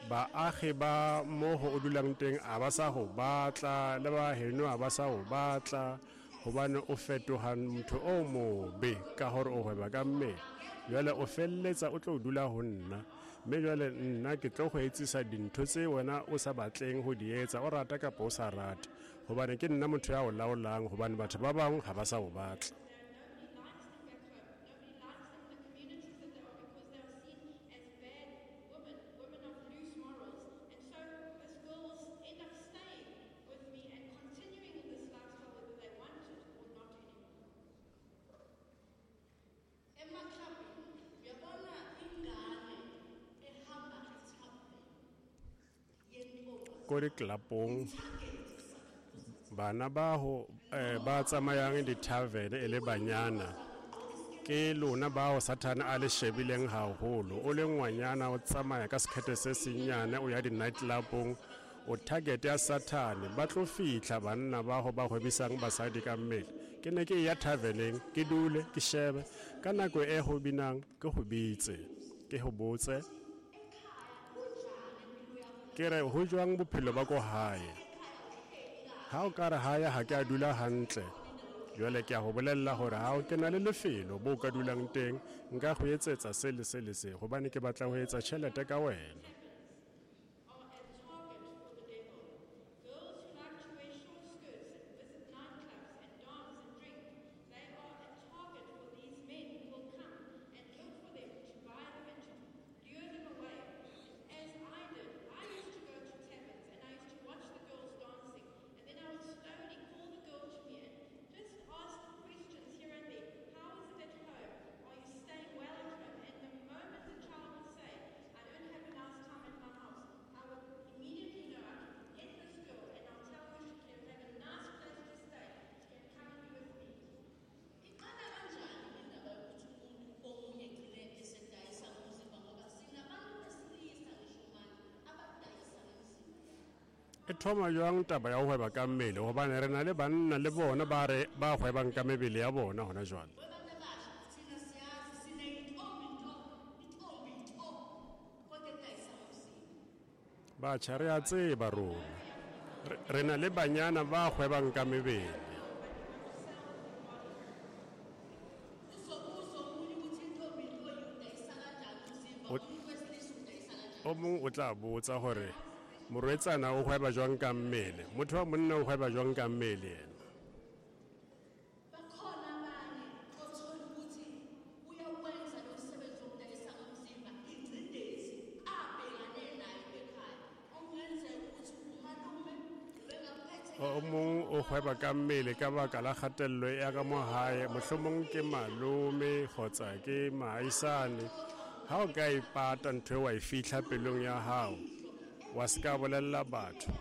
baagi ba mo ho o dulang teng a ba sa ho batla, le ba heno a ba sa ho batla, hobane o fetoha motho o mobe ka hore o hweba ka mmele. Jwale o felletsa o tlo dula ho nna, mme jwale nna ke tlo go etsisa dintho tse wena o sa batleng ho di etsa, o rata kapa o sa rate, hobane ke nna motho ya o laolang, hobane batho ba bang ha ba sa o batla. Nobody likes them back home. Nobody likes them in the communities that they are because they are seen as bad women, women of loose morals. And so this girl will end up staying with me and continuing in this lifestyle whether they want it or not anymore. Emaklabhini uyabona ingane ehamba ethaveni yentombazane Ko diklapong, bana ba ho eh, ba tsamayang di-tavern e le banyana, ke lona bao Sathane a le shebileng haholo. O le ngwanyana o tsamaya ka sekhethe se senyane o ya di-night club-ong, o target ya Sathane. Ba tlo fihla banna ba ho ba hwebisang basadi ka mmele. Ke ne ke ya taverneng, ke dule ke shebe ka nako e ho binang, ke ho bitse, ke ho botse, ke re ho jwang bophelo ba ko hae. Ha o ka re hae ha ke a dula hantle, jwale ke a ho bolella hore ha o ke na le lefelo bo ka dulang teng, nka go etsetsa se le se le se, hobane ke batla ho etsa tjhelete ka wena. Are a target for the devil. Girls who like to wear short skirts and visit nightclubs and dance and drink, they are a target for these men who will come and look for them to buy them and to lure them away E thoma jwang taba ya ho hweba ka mmele, hobane re na le banna le bona ba re ba hwebang ka mebele ya bona hona jwale. Batjha re a tseba rona, re na le banyana ba hwebang ka mebele. O mong o tla botsa hore morwetsana o hweba jwang ka mmele, motho wa monna o hweba jwang ka mmele yena. O mong o hweba ka mmele ka baka la kgatello ya ka mo hae, mohlomong ke malome kgotsa ke maahisane. Ha o ka ipata ntho eo wa e fihla pelong ya hao, wa se ka bolella batho,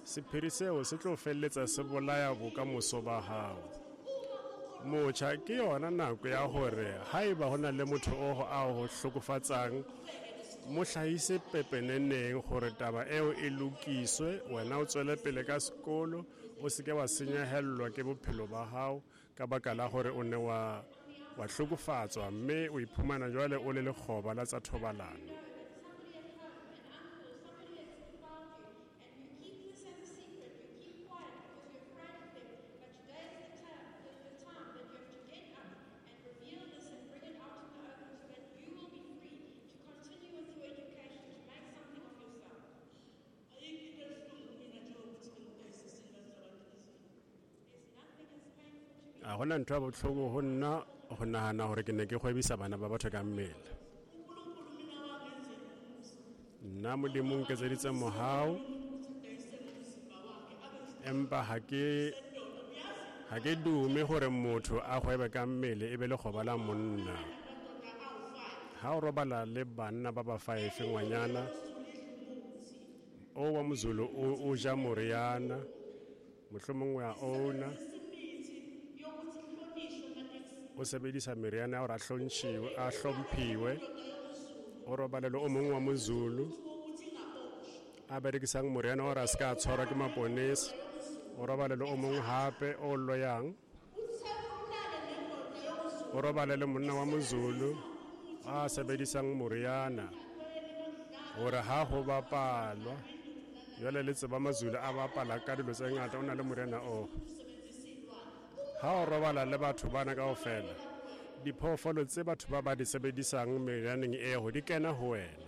sephiri seo se tlo felletsa se bolaya bokamoso ba hao. Motjha, ke yona nako ya hore haeba ho na le motho o a ho hlokofatsang, mo hlahise pepeneneng hore taba eo e lokiswe, wena o tswele pele ka sekolo, o se ke wa senyehellwa ke bophelo ba hao ka baka la hore o ne wa wa hlokofatswa mme o iphumana jwale o le lekgoba la tsa thobalano. A hona ntho ya bohloko ho nna ho nahana hore ke ne ke kgwebisa bana ba batho ka mmele. Nna Modimo o nketseditse mohau, empa ha ke ha ke dume hore motho a kgwebe ka mmele e be lekgoba la monna. Ha o robala le banna ba ba five ngwanyana, o wa Mozulu o o ja moriana, mohlomong wa owner o sebedisa meriana ya hore a hlontšhiwe, a hlomphiwe. O robale le o mongwe wa Mozulu a berekisang moriana wa hore a se ka tshwarwa ke maponesa. O robale le o mongwe hape o loyang. O robale le monna wa Mozulu a sebedisang moriana hore ha ho bapalwa, jwale le tseba Mazulu a bapala ka dilo tse ngata, o na le moriana oo. Ha o robala le batho bana kaofela, diphoofolo tse batho ba ba di sebedisang merianeng eo di kena ho wena.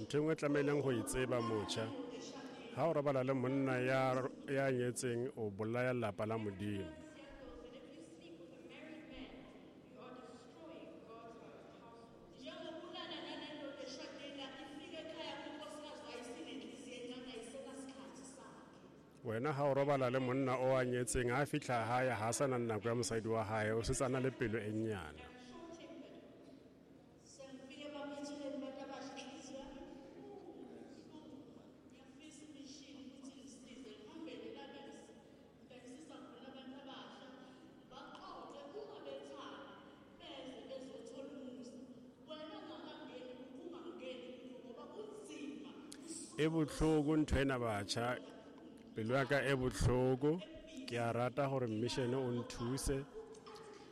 Ntho e nngwe tlamehileng ho e tseba motjha, ha o robala le monna ya ya nyetseng, o bolaya lapa la Modimo. Wena ha o robala le monna o a nyetseng, ha fihla hae ha sa na nako ya mosadi wa hae, o setse a na le pelo e nyane. E bohloko ntho ena batjha, pelo ya ka e bohloko. Ke a rata hore mission o nthuse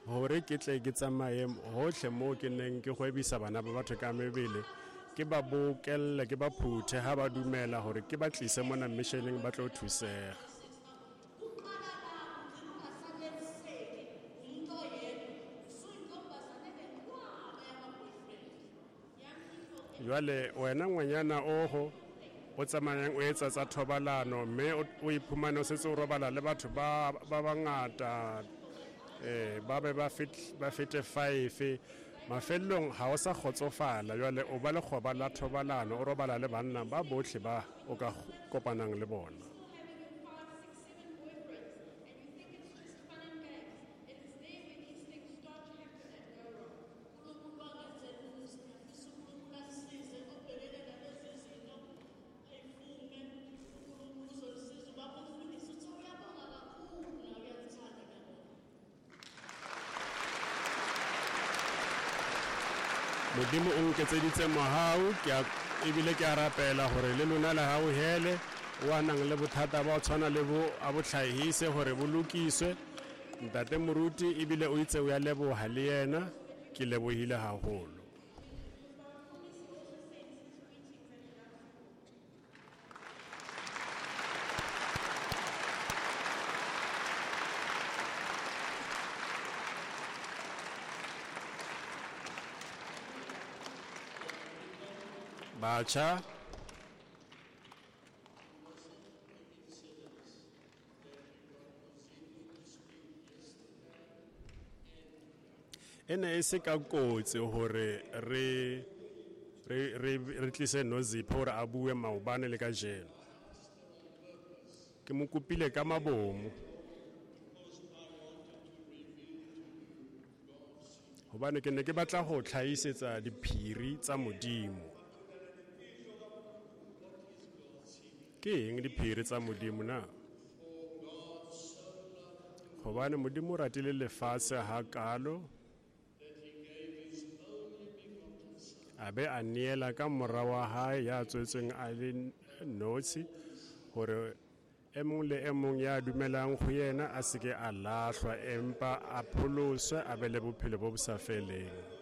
hore ke tle ke tsamaye hohle moo ke neng ke kgwebisa bana ba batho ka mebele, ke ba bokelle, ke ba phuthe ha ba dumela hore ke ba tlise mona missioneng ba tlo thuseha. Jwale wena ngwanyana oho o tsamayang o etsa tsa thobalano mme o iphumane o setse o robala le batho ba ba bangata, eh ba be ba fit ba fete five, mafellong ha o sa kgotsofala, jwale o ba lekgoba la thobalano, o robala le banna ba bohle ba o ka kopanang le bona. Modimo o nketseditse mohau, ke a ebile ke a rapela hore le lona le hauhele wa nang le bothata ba ho tshwana le bo a bo hlahise hore bo lokiswe. Ntate Moruti ebile o itse o ya leboha le yena, ke lebohile haholo. Batjha, e ne e se ka kotsi hore re re re re tlise Nozipho hore a bue maobane le kajeno. Ke mo kopile ka mabomo hobane ke ne ke batla ho tlhahisetsa diphiri tsa Modimo. Ke eng diphiri tsa Modimo na? Hobane Modimo o ratile lefatshe hakalo, a be a neela ka mora wa hae ya tswetsweng a le notshi, hore e mong le e mong ya dumelang ho yena a se ke a lahlwa, empa a pholoswe, a be le bophelo bo bo sa feleng.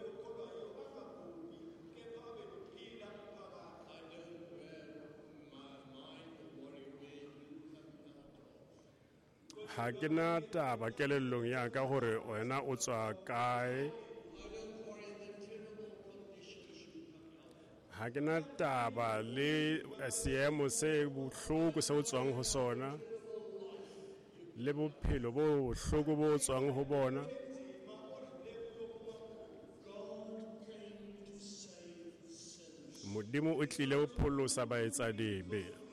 Ha ke na taba kelellong ya ka hore wena o tswa kae. Ha ke na taba le seemo se bohloko se o tswang ho sona, le bophelo bo bohloko bo tswang ho bona. Modimo o tlile ho pholosa baetsadibe.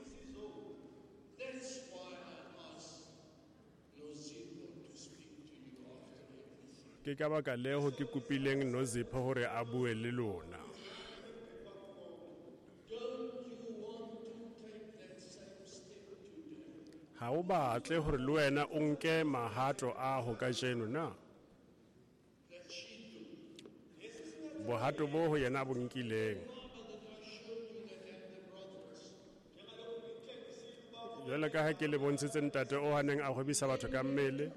Ke ka baka leo ke kopileng Nozipho hore a bue le lona. Ha o batle hore le wena o nke mahato a ho kajeno na? Bohato bo ho yena bo nkileng. Jwalo ka ha ke le bontshitse ntate o haneng a hwebisa batho ka mmele.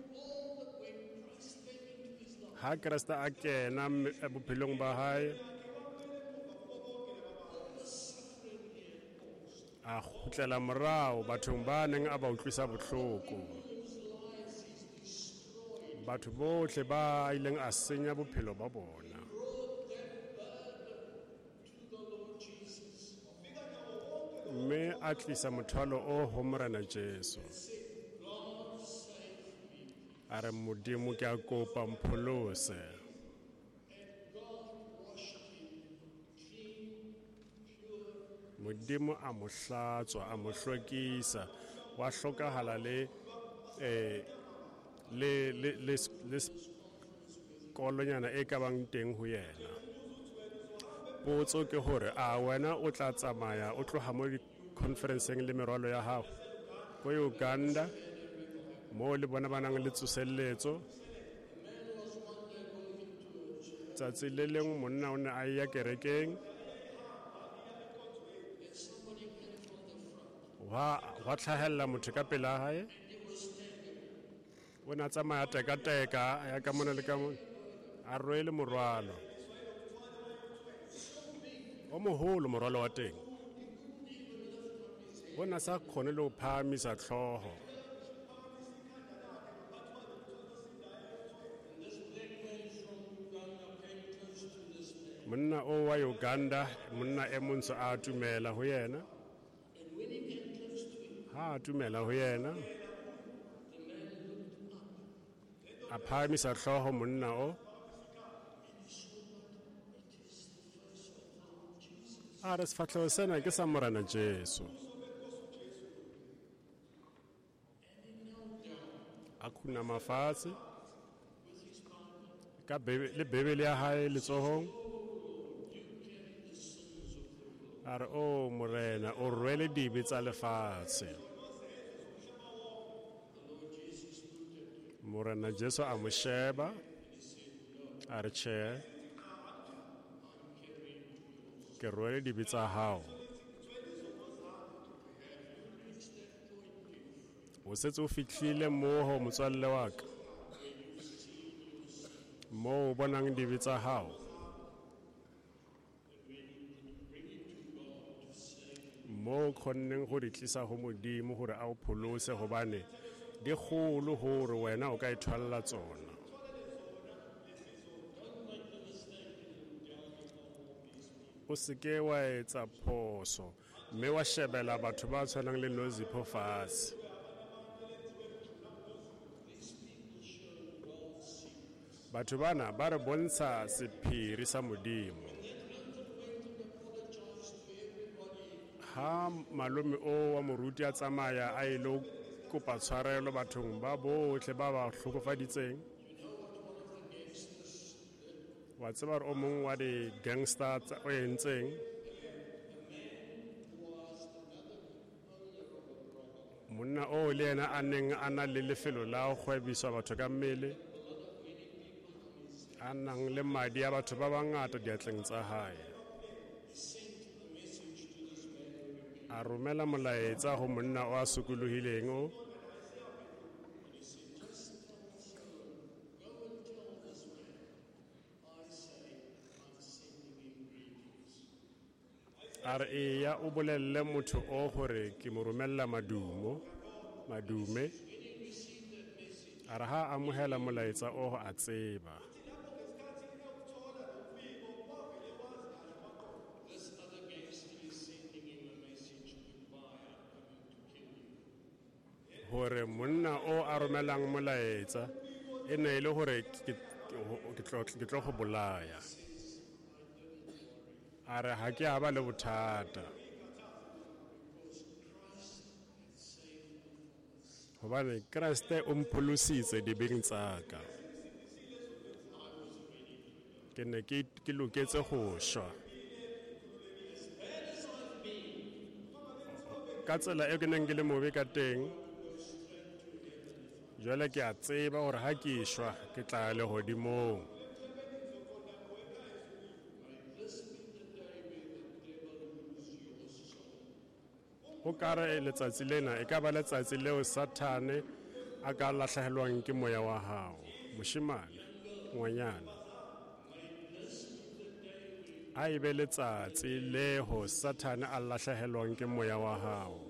Ha Kreste a kena bophelong ba hae, a kgutlela morao bathong ba neng a ba utlwisa bohloko. Batho bohle ba ileng a senya bophelo ba bona. Mme a tlisa mothwalo o ho Morena Jesu. A re, Modimo ke a kopa mpholose. Modimo a mo hlatswa, a mo hlwekisa, wa hlokahala le eh le le le le kolonyana e ka bang teng ho yena. Potso ke hore a wena o tla tsamaya o tloha mo di-conferenceng le merwalo ya hao ko Uganda mo le bona ba nang le tsoselletso. Tsatsi le leng monna o ne a ya kerekeng, wa wa tlhahella motho ka pela hae. O ne a tsamaya teka-teka, a ya ka mona le ka mona, a rwele morwalo o moholo, morwalo wa teng. O ne a sa kgone le ho phahamisa hlooho. Monna o wa Uganda, monna e montsho a atumela ho yena. Ha atumela ho yena, a phahamisa hlooho monna o. A re, sefahleho sena ke sa Morena Jesu. A khunama fatshe ka Bebe, le Bebele ya hae letsohong. A re, o Morena, o rwele dibe tsa lefatshe. Morena Jesu a mo sheba, a re, tjhe, Ke rwele dibe tsa hao. O setse o fihlile moo motswalle wa ka. Moo o bonang dibe tsa hao. Moo o kgonneng go di tlisa ho Modimo hore a o pholose hobane di kgolo hore wena o ka ithwalla tsona. O seke wa etsa phoso mme wa shebela batho ba tshwanang le Nozipho fatshe. Batho bana ba re bontsha sephiri sa Modimo. Ha malome o wa moruti a tsamaya a ilo kopa tshwarelo bathong ba bohle ba ba hlokofaditseng. Wa tseba hore o mong wa di-gangster tsa o entseng. Monna o le yena a neng a na le lefelo la ho kgwebiswa batho ka mmele, a nang le madi a batho ba bangata diatleng tsa hae. A romela molaetsa ho monna o a sokolohileng o. A re eya o bolelle motho o hore ke mo romella madumo, madume. A re ha amohela molaetsa o a tseba. Hore monna o a romelang molaetsa e ne e le hore ke, ke tlo, ke tlo go bolaya. A re ha ke a ba le bothata. Hobane Kreste o mpholositse dibeng tsa ka. Ke ne ke, ke loketse go shwa. Ka tsela e ke neng ke le mobe ka teng, jwale ke a tseba hore ha ke shwa ke tla ya lehodimong. O ka re letsatsi lena e ka ba letsatsi leo Sathane a ka lahlehelwang ke moya wa hao. Moshemane, ngwanyana. A e be letsatsi leo Sathane a lahlehelwang ke moya wa hao.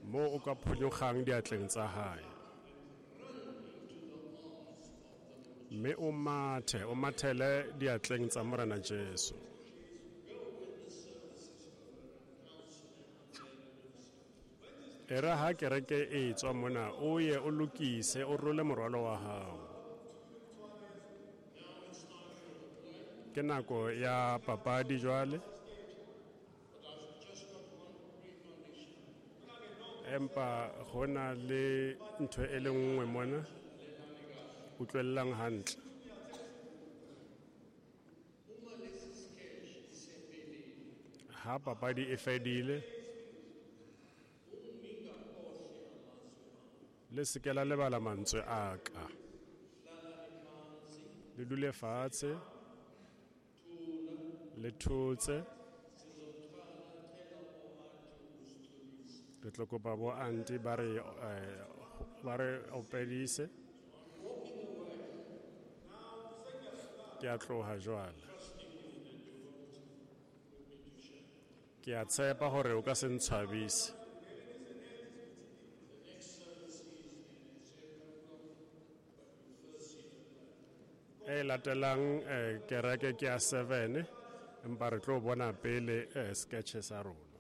Moo o ka phonyogang diatleng tsa hae. Mme o mathe, o mathele diatleng tsa Morena Jesu. E re ha kereke e tswa mona, o ye o lokise, o role morwalo wa hao. Ke nako ya papadi jwale. Empa ho na le ntho e le nngwe mona. Utlwellang hantle. Ha papadi e fedile, le se ke la lebala mantswe a ka. Le dule fatshe, le thotse. Re tlo kopa bo auntie ba re, eh, ba re opedise. Ke a tloha jwale. Ke a tshepa hore o ka se ntshwabise. E latelang, eh, kereke ke ya seven, empa re tlo bona pele, eh, sketch sa rona.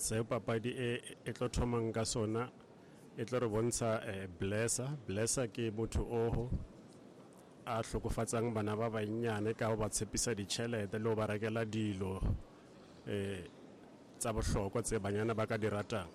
Seo papadi e e tlo thomang ka sona e tlo re bontsha eh, Blesser. Blesser ke motho oho a hlokofatsang bana ba bannyane ka ho ba tshepisa ditjhelete le ho ba rekela dilo eh tsa bohlokwa tse banyana ba ka di ratang.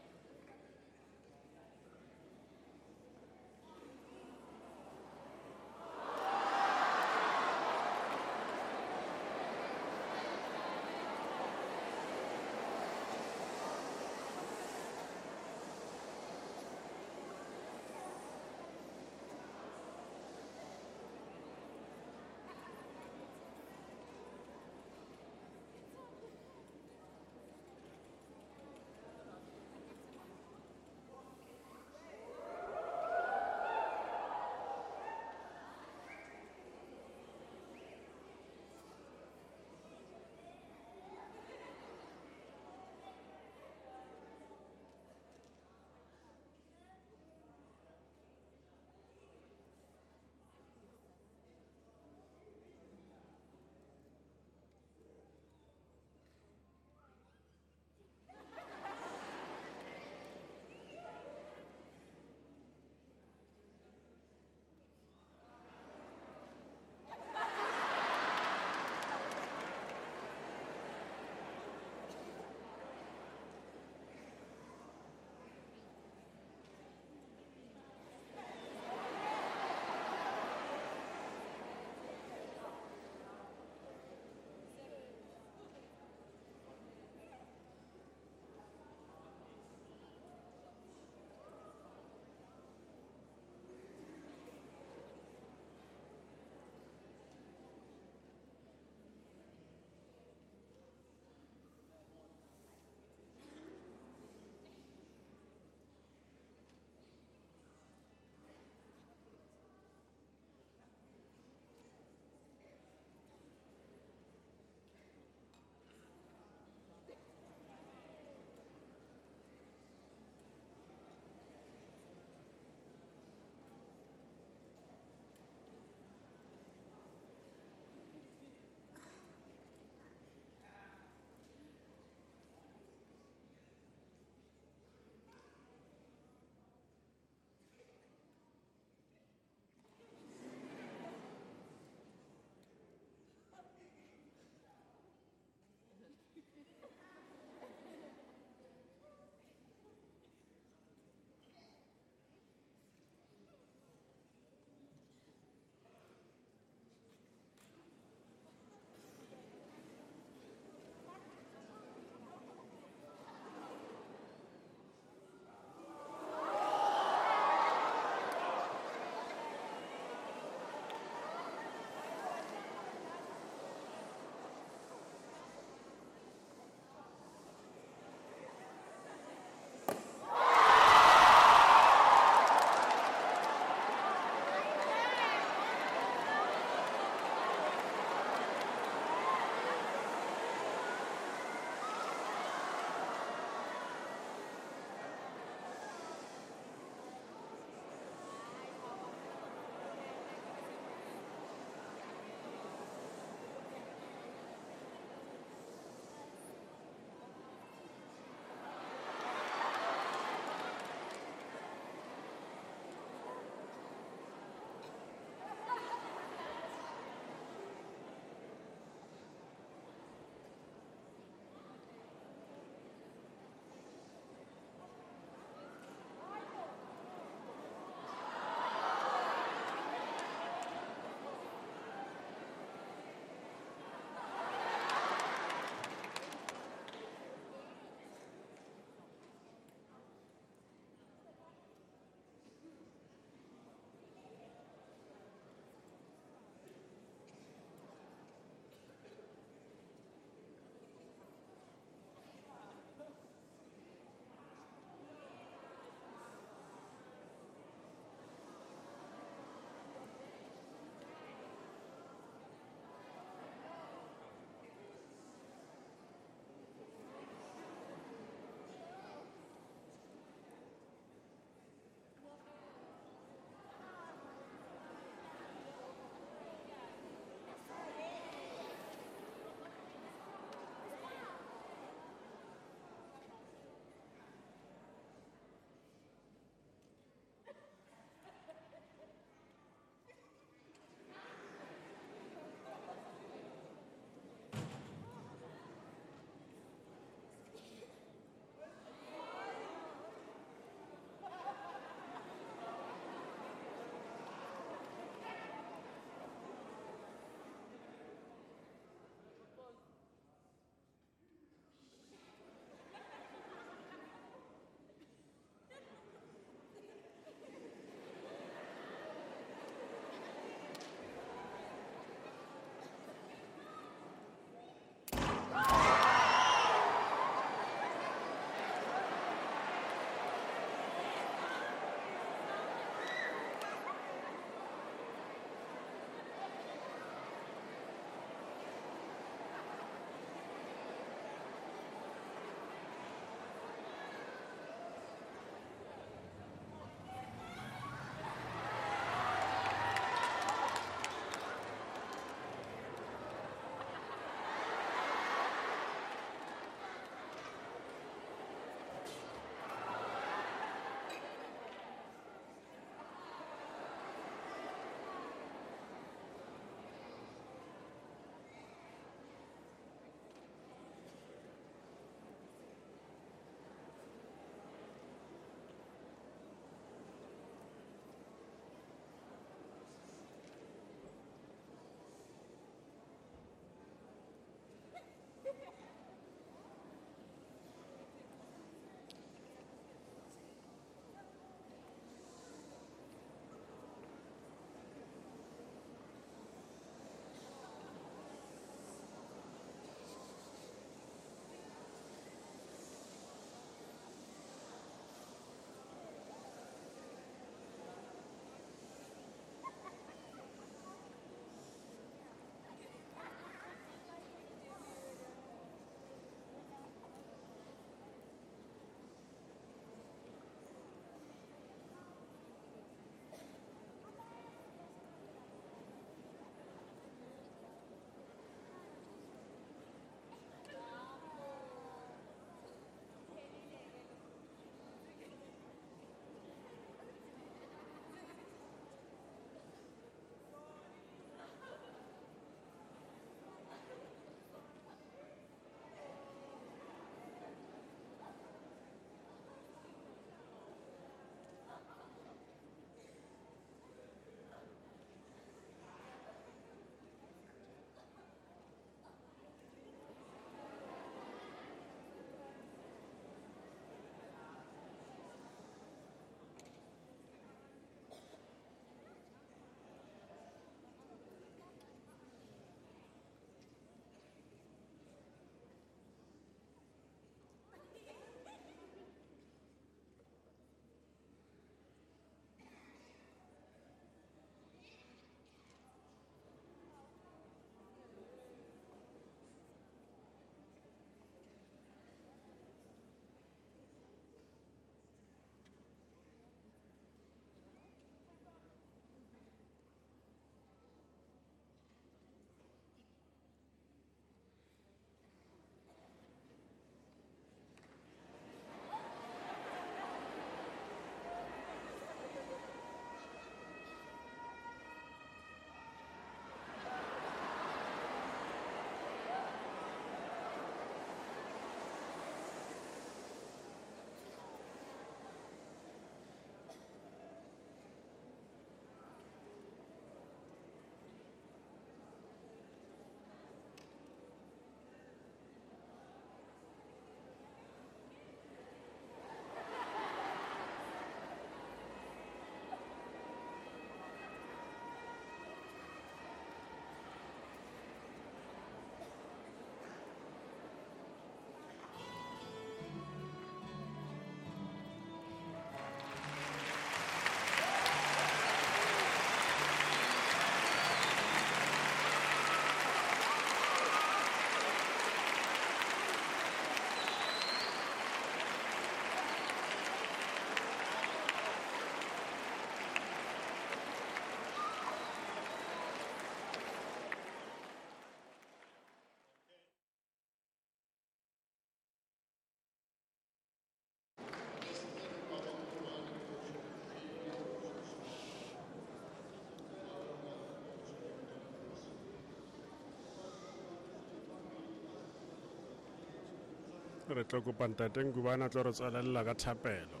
Re tlo kopa ntate Ngubane a tlo re tswalella ka thapelo.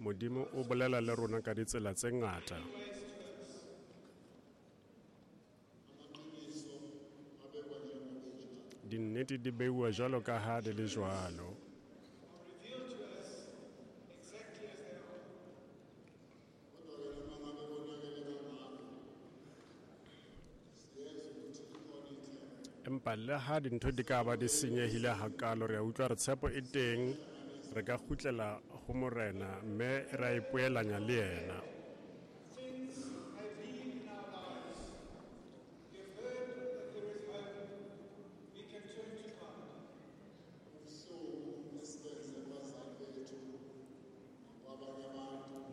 Modimo o bolela le rona ka ditsela tse ngata. Dinnete di beuwa jwalo ka ha di le jwalo. Empa le ha dintho di ka ba di senyehile hakalo, re a utlwa re tshepo e teng, re ka kgutlela ho Morena mme ra ipoelanya le yena.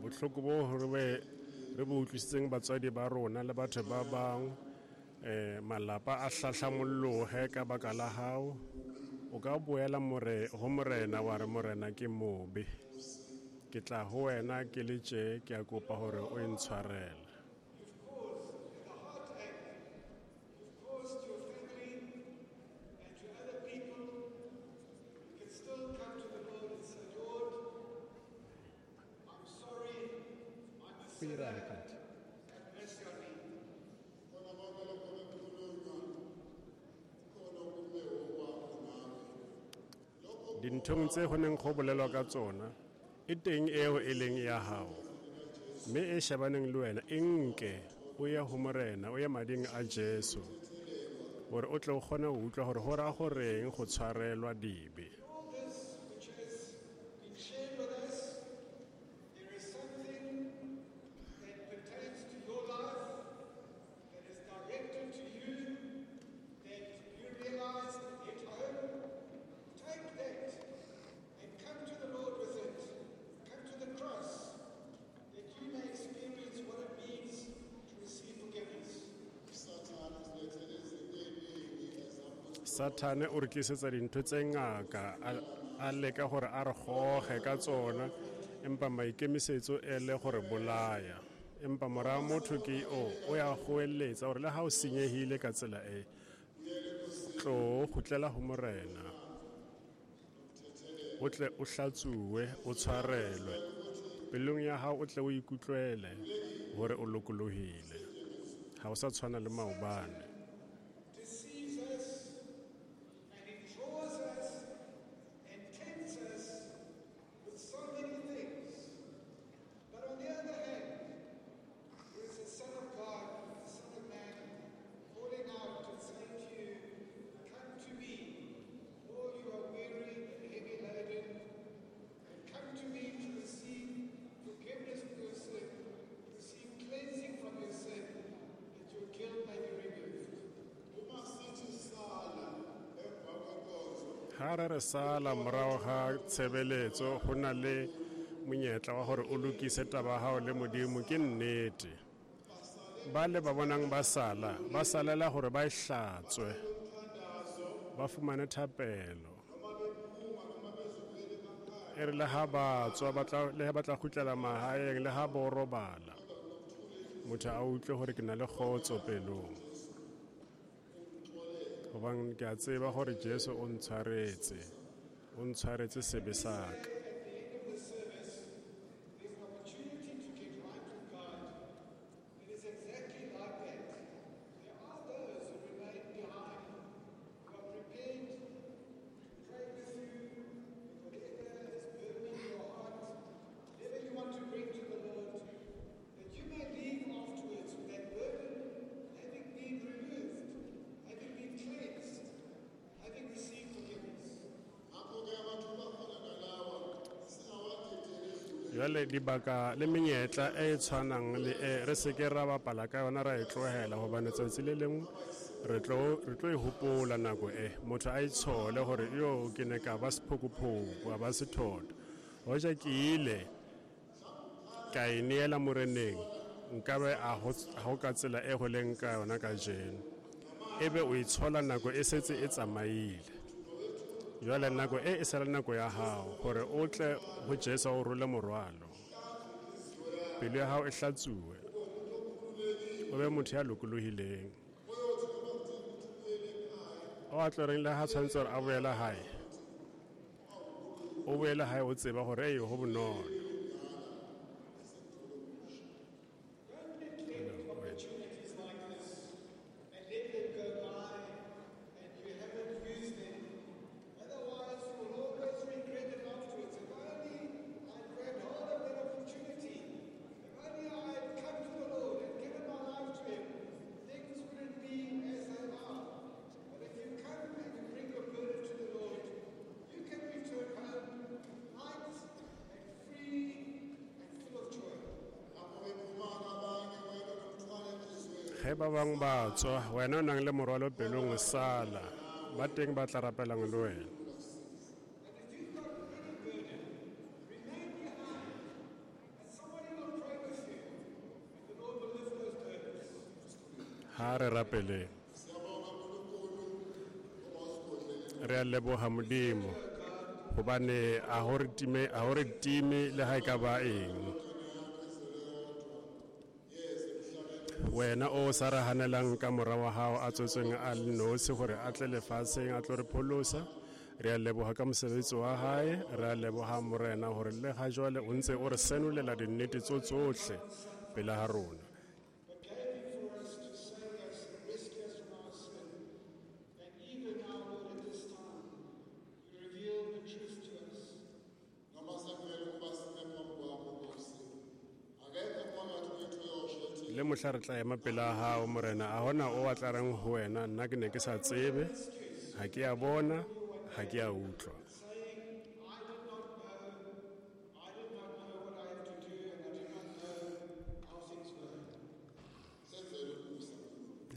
Bohloko bo re be re bo utlwisitseng batswadi ba rona le batho ba bang, eh malapa a hlahlamollohe ka baka la hao. O ka boela more ho Morena wa re Morena ke mobe, ke tla ho wena ke le tje, ke a kopa hore o intshwarele. Dinthong tse ho neng go bolelwa ka tsona e teng eo e leng ya hao, mme e shebaneng le wena e nke o ye ho Morena, o ye mading a Jesu, hore o tle o kgone ho utlwa hore ho ra horeng go tshwarelwa dibe. Sathane o re tlisetsa dintho tse ngaka, a leka hore a re goge ka tsona, empa maikemisetso e le gore bolaya. Empa mora motho ke o, o ya goeletsa hore le ha o senyehile ka tsela e, tlo kgutlela ho Morena, o tle o hlatsuwe, o tshwarelwe. Pelong ya hao o tle o ikutlwele hore o lokolohile, ha o sa tshwana le maobane. Ha re re sala morago ga tshebeletso, go na le monyetla wa gore o lokise taba hao le Modimo. Ke nnete, ba le ba bonang ba sala, ba salela gore ba e hlatswe, ba fumane thapelo. E re le ha ba tswa, ba tla, le ha ba tla kgutlela mahaeng, le ha bo robala, motho a utlwe gore ke na le kgotso pelong, hobane ke a tseba gore Jesu o ntshwaretse, o ntshwaretse sebe sa ka. Jwale dibaka le menyetla e tshwanang le e re se ke ra bapala ka yona, ra e tlohela, hobane tsatsi le lengwe re tlo re tlo e hopola nako e motho a itshole hore yo ke ne ka ba sephokophoko, a ba sethotho. Hoja ke ile ka e neela moreneng, nkabe a ho ka tsela e ho leng ka yona kajeno. Ebe o itshola nako e setse e tsamaile. Jwale nako e e sala nako ya hao hore o tle ho Jesu o role morwalo. Pelo ya hao e hlatsuwe. O be motho ya lokolohileng. O a tlo reng le ha tshwanetse hore a boele hae. O boele hae o tseba hore ei ho bonolo. Ge ba bang ba tswa, wena o nang le morwalo pelong o sala, ba teng ba tla rapelang le wena. Ha re rapeleng. Re a leboha Modimo hobane a ho re time, a ho re time le ha e ka ba eng. Wena o sa re hanelang ka mora wa hao a tswetsweng a le nosi hore a tle lefatsheng a tlo re pholosa. Re a leboha ka mosebetsi wa hae, re a leboha Morena hore le ha jwale o ntse o re senolela dinnete tso tsohle pele ha rona. Le mohla re tla ema pela hao Morena, a hona o a tla reng ho wena, nna ke ne ke sa tsebe, ha ke a bona, ha ke a utlwa.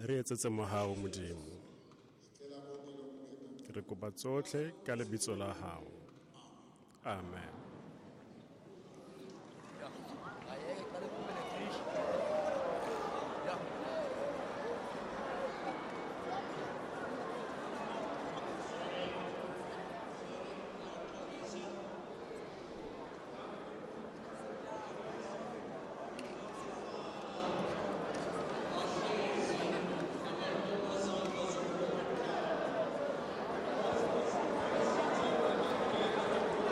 Re etsetse mohau Modimo. Re kopa tsohle ka lebitso la hao. Amen.